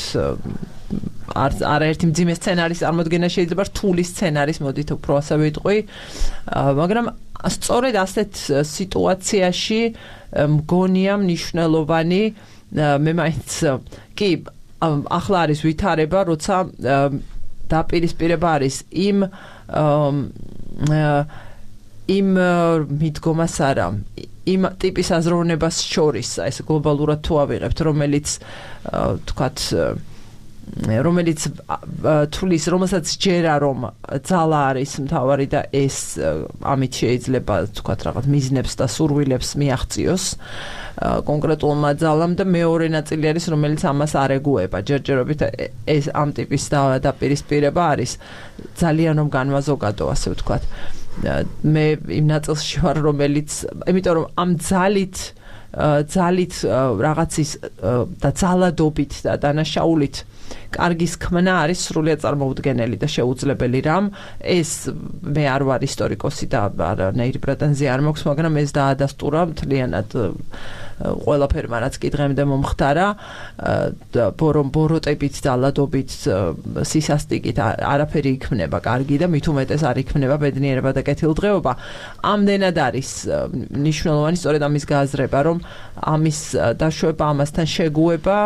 არაერთი მძიმე სცენარის წარმოდგენა შეიძლება რთული სცენარის მოდით უფრო ასე ვიტყვი მაგრამ სწორედ ასეთ სიტუაციაში მგონია მნიშვნელოვანი მე მაინც კი ახლა არის ვითარება როცა დაპირისპირება არის იმ მიდგომას არა იმ ტიპის აზროვნებას შორის ეს გლობალურად თუ ავიღებთ რომელიც თქვათ რომელიც თulis რომელსაც ჯერა რომ ძალა არის მთავარი და ეს ამით შეიძლება თქვათ რაღაც მიზნებს და სურვილებს მიაღწიოს კონკრეტულმა ძალამ და მეორე ნაწილი არის რომელიც ამას არ ეგუება ჯერჯერობით ეს ამ ტიპის დაპირისპირება არის ძალიან რომ განვაზოგადო ასე ვთქვათ მე იმ ნაწილში ვარ რომელიც იმიტომ რომ ამ ძალით რაღაცის და ძალადობით და დანაშაულით კარგის ქმნა არის სრულიად წარმოუდგენელი და შეუძლებელი რამ. ეს მე არ ვარ ისტორიკოსი და არანაირი პრეტენზია არ მაქვს, მაგრამ ეს დაადასტურა მთლიანად ყველაფერმა, რაც კი დღემდე მომხდარა, ბოროტებით, ძალადობით, სისასტიკით არაფერი იქმნება კარგი და მით უმეტეს არ იქმნება ბედნიერება და კეთილდღეობა. ამდენად არის მნიშვნელოვანი სწორედ ამის გააზრება, რომ ამის დაშვება, ამასთან შეგუება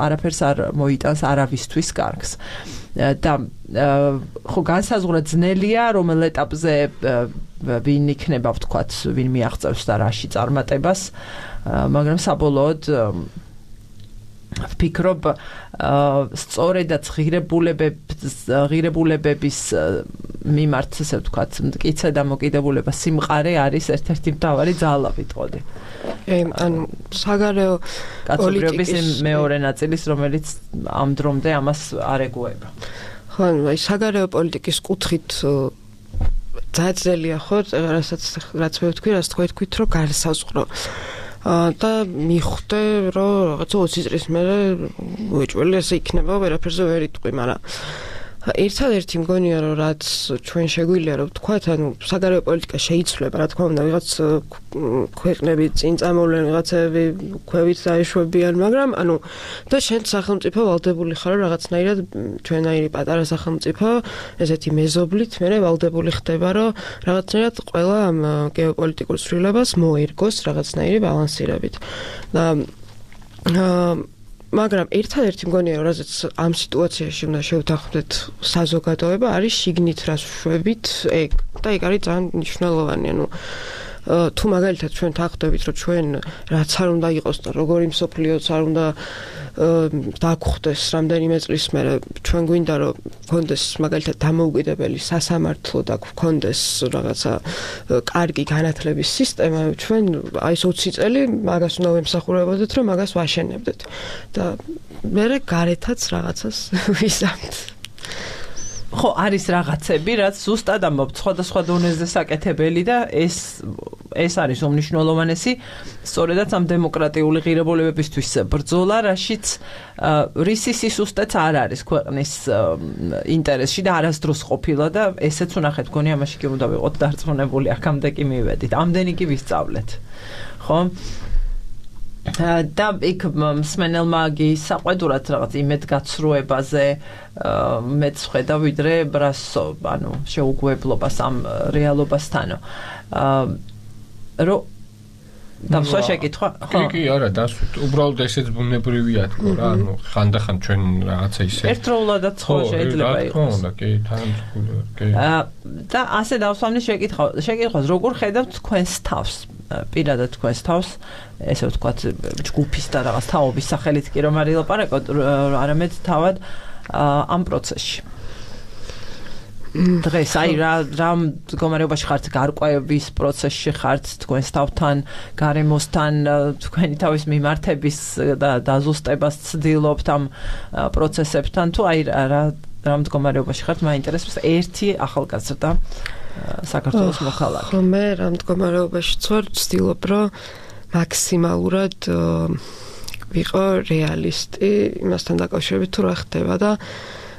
არაფერს არ მოიტანს არავისთვის კარგს. და ხო განსაზღვრა ძნელია, რომელ ეტაპზე ვინ იქნება, ვთქვათ, ვინ მიაღწევს და რაში წარმატებას, მაგრამ საბოლოოდ ვფიქრობ, სწორედაც ღირებულებების მიმართ, ესე ვთქვათ, მტკიცე და მოკიდებულება სიმყარე არის ერთ-ერთი მთავარი ძალა, ვიტყოდი. ანუ საგარეო კაცობრიობის მეორე ნაწილის, რომელიც ამ დრომდე ამას არ ეგუება. ხო, აი საგარეო პოლიტიკის კუთხით ძაძელია ხო, რაც მე ვთქვი, რაც თქვით, რომ გარსაზღვრო და მიხვდე, რომ რაღაცა 20 წლის მერე უეჭველი ესე იქნება, ვერაფერზე ვერ იტყვი, მაგრამ ერთადერთი მგონია, რომ რაც ჩვენ შეგვიძლია რომ ვთქვათ, ანუ საგარეო პოლიტიკა შეიცვლება, რა თქმა უნდა, ვიღაც ქვეყნები წინ წამოვლენ, ვიღაცები ქვევით დაეშვებიან, მაგრამ ანუ და შენ სახელმწიფო ვალდებული ხარ რაღაცნაირად ჩვენაირი პატარა სახელმწიფო, ესეთი მეზობლით, მე ვალდებული ხდება, რომ რაღაცნაირად ყველა ამ გეოპოლიტიკურ ცვლილებას მოერგოს რაღაცნაირი ბალანსირებით. და მაგრამ ერთადერთი მგონია, რომ რაზეც ამ სიტუაციაში უნდა შევთანხმდეთ საზოგადოება, არის შიგნით რას ვშვებით, ეგ და ეგ არის ძალიან მნიშვნელოვანი, ანუ თუ მაგალითად ჩვენ თანხმდებით, რომ ჩვენ რაც არ უნდა იყოს და როგორი მსოფლიოც არ უნდა დაგხვდეს რამდენიმე წლის მერე, ჩვენ გვინდა რომ გქონდეს მაგალითად დამოუკიდებელი სასამართლო და გქონდეს რაღაცა კარგი განათლების სისტემა, ჩვენ აი ეს 20 წელი მაგას უნდა ვემსახურებოდეთ, რომ მაგას ვაშენებდეთ და მერე გარეთაც რაღაცას ვიზამთ. ხო, არის რაღაცები, რაც ზუსტად ამბობთ, სხვადასხვა დონეზე საკეთებელი და ეს არის უმნიშვნელოვანესი, სწორედაც ამ დემოკრატიული ღირებულებებისთვის ბრძოლა, რაშიც რისი სისუსტეც არ არის ქვეყნის ინტერესში და არასდროს ყოფილა და ესეც უნახეთ, გონი ამაში კი უნდა ვიყოთ დარწმუნებული, აქამდე კი მივედით, ამდენი კი ვისწავლეთ. ხო? და იქ მსმენელმა გისაყვედურად რაღაც იმედგაცრუებაზე მეც ხედა ვიდრე ანუ შეუგუებლობას ამ რეალობასთანო. რომ დამსვა შეკითხვა? კი, არა, უბრალოდ ესეც ბუნებრივია თქო რა, ანუ ხანდახან ჩვენ რაღაცა ისე ერთდროულადაც ხო შეიძლება იყოს. ხო, კი, თანამშრომლობა, კი. და ასე დავსვამდი შეკითხვას, როგორ ხედავთ თქვენს თავს? პირადად თქვენს თავს, ესე ვთქვათ, ჯგუფის და რაღაც თაობის სახელით კი რომ არ ილაპარაკოთ, არამედ თავად ამ პროცესში. დღეს აი რა მდგომარეობაში ხართ, გარკვევის პროცესში ხართ თქვენს თავთან, გარემოსთან, თქვენი თავის მიმართების და დაზუსტებას ცდილობთ ამ პროცესებთან, თუ აი რა მდგომარეობაში ხართ, მაინტერესებს ერთი ახალგაზრდა საქართველოს მოქალაქე. ხო, მე რა მდგომარეობაში ვარ, ვცდილობ, რომ მაქსიმალურად ვიყო რეალისტი იმასთან დაკავშირებით, თუ რა ხდება და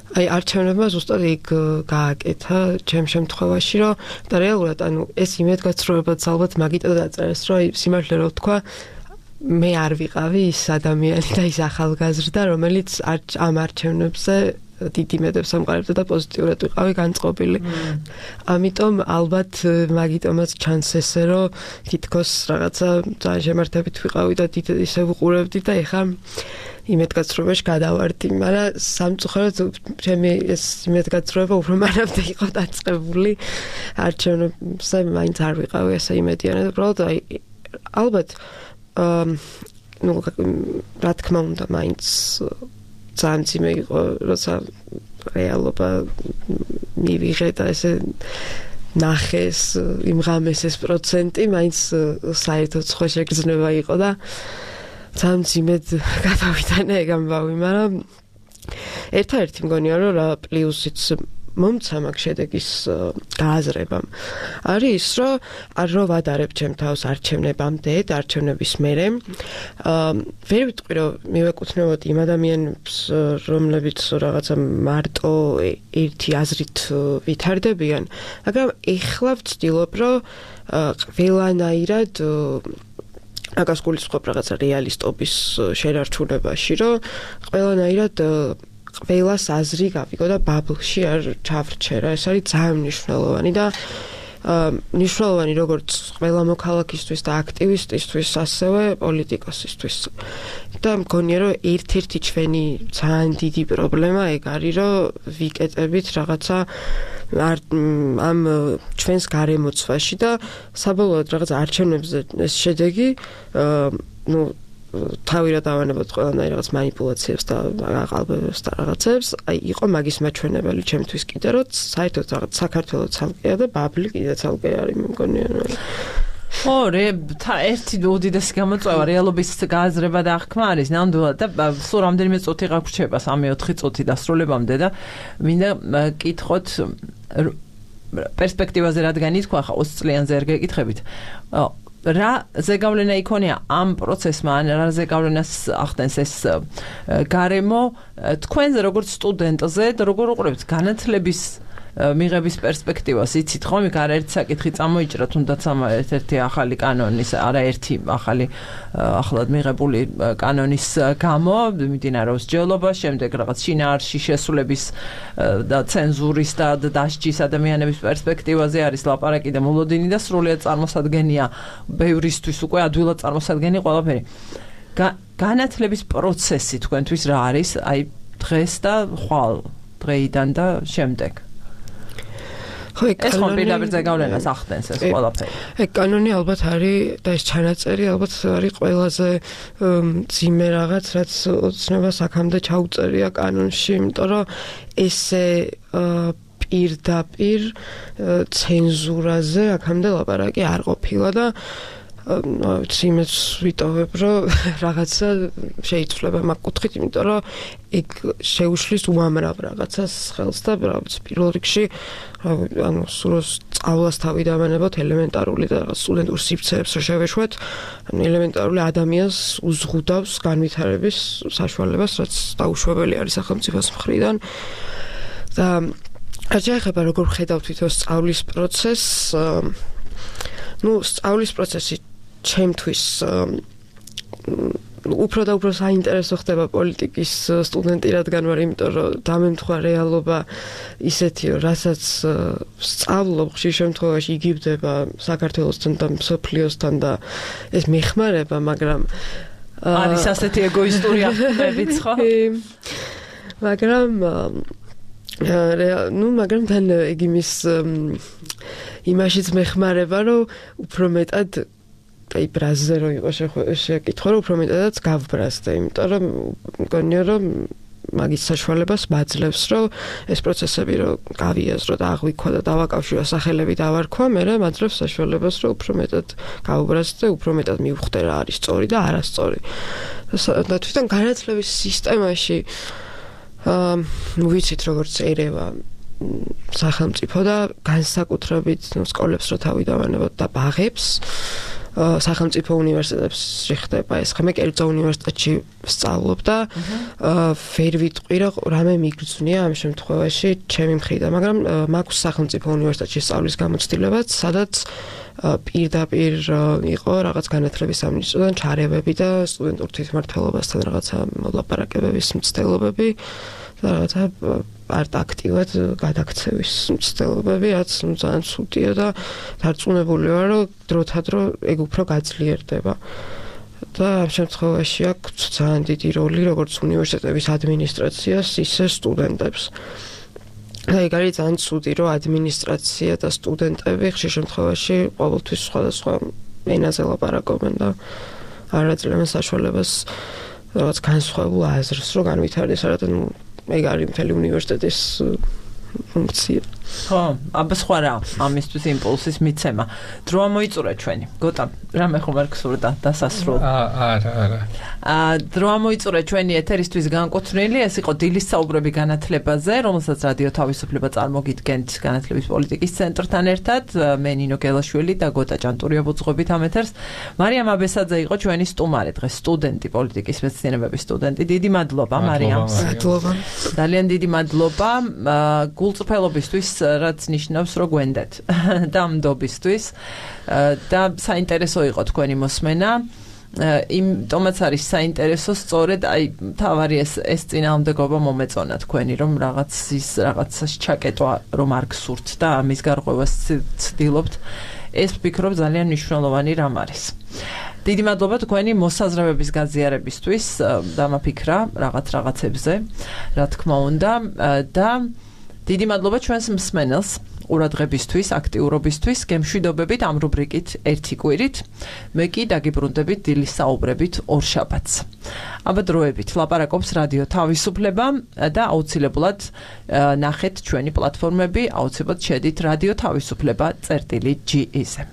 აი არჩევნებმა ზუსტად იქ გააკეთა ჩემ შემთხვევაში, რომ და რეალურად ანუ ეს იმედგაცრუებაც ალბათ მაგიტო დაწერეს, რომ აი სიმართლე რო ვთქვა, მე არ ვიყავი ის ადამიანი და ის ახალგაზრდა, რომელიც ამ არჩევნებზე დიდი იმედებს ამყარებდა და პოზიტიურად ვიყავი განწყობილი. ამიტომ ალბათ მაგიტომაც ჩანს ესე, რომ თითქოს რაღაცა ძალიან შემართებით ვიყავი და ისე ვუყურებდი და ეხლა იმედგაცრუებაში გადავარდი, მაგრამ სამწუხაროდ ჩემი ეს იმედგაცრუება უფრო მანამდე იყო დაწყებული. არჩევნებზე მაინც არ ვიყავი ესე იმედიანი, უბრალოდ აი ალბათ ნუ რა თქმა უნდა მაინც ძალიან ძიმე იყო, როცა რეალობა მივიღე და ესე ნახეს, იმღამეს ეს პროცენტი, მაინც საერთოდ სხვა შეგრძნება იყო და ძალიან ძიმედ გადავიტანე ეგ ამბავი, მაგრამ ერთადერთი მგონია, რომ რა პლუსიც მომცა მაგ შედეგის გააზრებამ არის ის, რომ არ ვადარებ ჩემ თავს არჩევნებამდე, არჩევნების მერე. ვერ ვიტყვი, რომ მივეკუთვნებოდი იმ ადამიანებს, რომლებიც რაღაცა მარტო ერთი აზრით ვითარდებიან, მაგრამ ეხლა ვცდილობ, რომ ყველანაირად მაგას გულისხმობ რაღაცა რეალისტობის შენარჩუნებაში, რომ ყველანაირად ყველას აზრი გავიგო და ბაბლში არ ჩავრჩერა. ეს არის ძალიან მნიშვნელოვანი და მნიშვნელოვანი როგორც ყველა მოქალაქისთვის და აქტივისტისთვის, ასევე პოლიტიკოსისთვის. და მგონია, რომ ერთ-ერთი ჩვენი ძალიან დიდი პრობლემა ეგ არის, რომ ვიკეტებით რაღაცა ამ ჩვენს გარემოცვაში და საბოლოოდ რაღაც არჩევნებზე ეს შედეგი თავი რა დავანებოთ ყველანაირ რაღაც манипуляციებს და აყალბებებს და რაღაცებს, აი იყო მაგის მაჩვენებელი ჩემთვის კიდე, რომ საერთოდ რაღაც საქართველოს ცალკეა და ბაბლი კიდე ცალკე არის, მე მგონია. ერთი უდიდესი გამოწვევა რეალობის გააზრება და აღქმა არის ნამდვილად და სულ რამდენიმე წუთი გაგვრჩება 3-4 წუთი დასრულებამდე და მინდა კითხოთ პერსპექტივაზე რადგან ითქვა ხა 20 წლიანზე არ გეკითხებით რა ზეგავლენა იქონია ამ პროცესმა ან რა ზეგავლენას ახდენს ეს გარემო თქვენზე როგორც სტუდენტზე და როგორ უყურებთ განათლების მიღების პერსპექტივას იცით ხომ იქ არაერთი საკითხი წამოიჭრა თუნდაც ამ ერთ-ერთი ახალი კანონის არაერთი ახალი ახლად მიღებული კანონის გამო მიმდინარეობს ჯელობა შემდეგ რაღაც შინაარსში შესულების და ცენზურის და დასჯის ადამიანების პერსპექტივაზე არის ლაპარაკი და მოლოდინი და სრულიად წარმოსადგენია ბევრისთვის უკვე ადვილად წარმოსადგენი ყველაფერი განათლების პროცესი თქვენთვის რა არის აი დღეს და ხვალ დღეიდან და შემდეგ ეს ხომ პირდაპირ ზეგავლენას ახდენს ეს ყველაფერი. ეგ კანონი ალბათ არის და ეს ჩანაწერი ალბათ არის ყველაზე ძიმე რაღაც, რაც ოცნებას აქამდე ჩაუწერია კანონში, იმიტომ რომ ესე პირდაპირ ცენზურაზე აქამდე ლაპარაკი არ ყოფილა და იმეც ვიტოვებ, რომ რაღაცა შეიცვლება მაგ კუთხით, იმიტომ რომ ეგ შეუშლის უამრავ რაღაცას ხელს და პირველ რიგში ანუ სულოს სწავლას თავი დავანებოთ ელემენტარული და სტუდენტურ სივრცეებს რო შევეშვათ, ანუ ელემენტარული ადამიანს უზღუდავს განვითარების საშუალებას, რაც დაუშვებელი არის სახელმწიფოს მხრიდან და რაც შეეხება როგორ ხედავთ თვითონ სწავლის პროცესს, სწავლის პროცესი ჩემთვის უფრო და უფრო საინტერესო ხდება პოლიტიკის სტუდენტი რადგან ვარ, იმიტომ რომ დამემთხვა რეალობა ისეთიო, რასაც სწავლობ ხშირ შემთხვევაში იგივდება საქართველოსთან და მსოფლიოსთან და ეს მეხმარება, მაგრამ არის ასეთი ეგოისტური აღქმებიც, ხო? მაგრამ მაგრამ თან ეგ იმაშიც მეხმარება, რომ უფრო მეტად აი ბრაზზე რო იყო შეკითხვა, რომ უფრო მეტადაც გავბრაზდე, იმიტომ რომ მგონია, რომ მაგის საშუალებას მაძლევს, რომ ეს პროცესები რო გავიაზრო და აღვიქვა და დავაკავშირო სახელები დავარქვა, მერე მაძლევს საშუალებას, რომ უფრო მეტად გავბრაზდე, უფრო მეტად მივხვდე რა არის სწორი და არასწორი. და თვითონ განათლების სისტემაში ვიცით როგორც ერევა სახელმწიფო და განსაკუთრებით სკოლებს რო თავი დავანებოთ და ბაღებს სახელმწიფო უნივერსიტეტებს შეხდება ეს. მე კერძო უნივერსიტეტში ვსწავლობ და ვერ ვიტყვი რომ რამე მიგრძნია ამ შემთხვევაში ჩემი მხრიდან, მაგრამ მაქვს სახელმწიფო უნივერსიტეტში სწავლის გამოცდილებაც, სადაც პირდაპირ იყო რაღაც განათლების სამინისტროდან ჩარევები და სტუდენტურ თვითმმართველობასთან რაღაცა მოლაპარაკებების მცდელობები და რაღაცა აქტივად გადაქცევის მცდელობები, რაც ძალიან ცუდია და დარწმუნებული ვარ, რომ დროთადრო ეგ უფრო გაძლიერდება. და ამ შემთხვევაში აქვს ძალიან დიდი როლი როგორც უნივერსიტეტების ადმინისტრაციას, ისე სტუდენტებს. და ეგ არის ძალიან ცუდი, რომ ადმინისტრაცია და სტუდენტები ხშირ შემთხვევაში ყოველთვის სხვადასხვა ენაზე ლაპარაკობენ და არ აძლევენ საშუალებას რაღაც განსხვავებულ აზრს, რომ განვითარდეს, არადა ეგ არის მთელი უნივერსიტეტის ფუნქცია. ხო, აბა სხვა რა, ამისთვის იმპულსის მიცემა. დრო მოიწურა ჩვენი. გოტა, რამე ხომ არ გსურდა დასასრულ. არა. დრო მოიწურა ჩვენი ეთერისთვის განკუთვნილი, ეს იყო დილის საუბრები განათლებაზე, რომელსაც რადიო თავისუფლება წარმოგიდგენთ განათლების პოლიტიკის ცენტრთან ერთად. მე ნინო გელაშვილი და გოტა ჭანტურია ვუძღვებით ამ ეთერს. მარიამ აბესაძე იყო ჩვენი სტუმარი დღეს, სტუდენტი, პოლიტიკის მეცნიერებების სტუდენტი. დიდი მადლობა მარიამს. მადლობა. ძალიან დიდი მადლობა გულწრფელობისთვის, რაც ნიშნავს, რომ გვენდეთ და მდობისთვის და საინტერესო იყო თქვენი მოსმენა. იმიტომაც არის საინტერესო, სწორედ აი თავარი ეს წინააღმდეგობა მომეწონა თქვენი, რომ რაღაცას ჩაკეტვა რომ არ გსურთ და ამის გარღვევას ცდილობთ. ეს ვფიქრობ ძალიან მნიშვნელოვანი რამ არის. დიდი მადლობა თქვენი მოსაზრებების გაზიარებისთვის, დამაფიქრა რაღაცებზე, რა თქმა უნდა, და დიდი მადლობა ჩვენს მსმენელს ყურადღებისთვის, აქტიურობისთვის, გემშვიდობებით ამ რუბრიკით ერთი კვირით. მე კი დაგიბრუნდებით დილის საუბრებით ორშაბათს. აბა დროებით ლაპარაკობს რადიო თავისუფლება და აუცილებლად ნახეთ ჩვენი პლატფორმები, აუცილებლად შედით რადიო თავისუფლება.ge-ზე.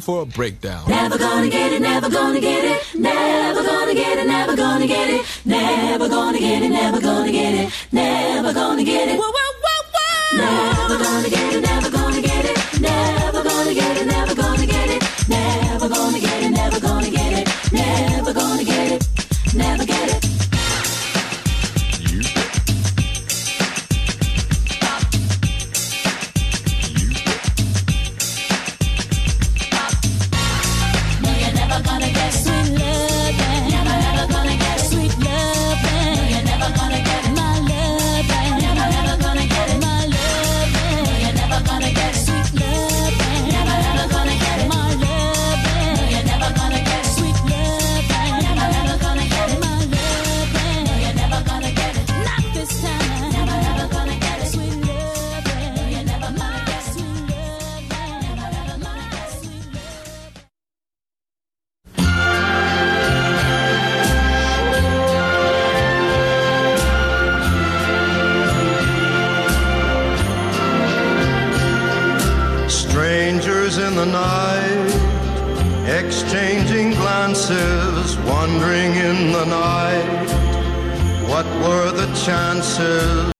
For a breakdown. Never gonna get it, never gonna get it, never gonna get it, never gonna get it, never gonna get it, never gonna get it, never gonna get it. Whoa, whoa, whoa, whoa. Never gonna get it, never gonna get it, never gonna get it, never gonna get it, never gonna get it, never gonna get it, never gonna get it, never get it. You the night, exchanging glances, wandering in the night. What were the chances?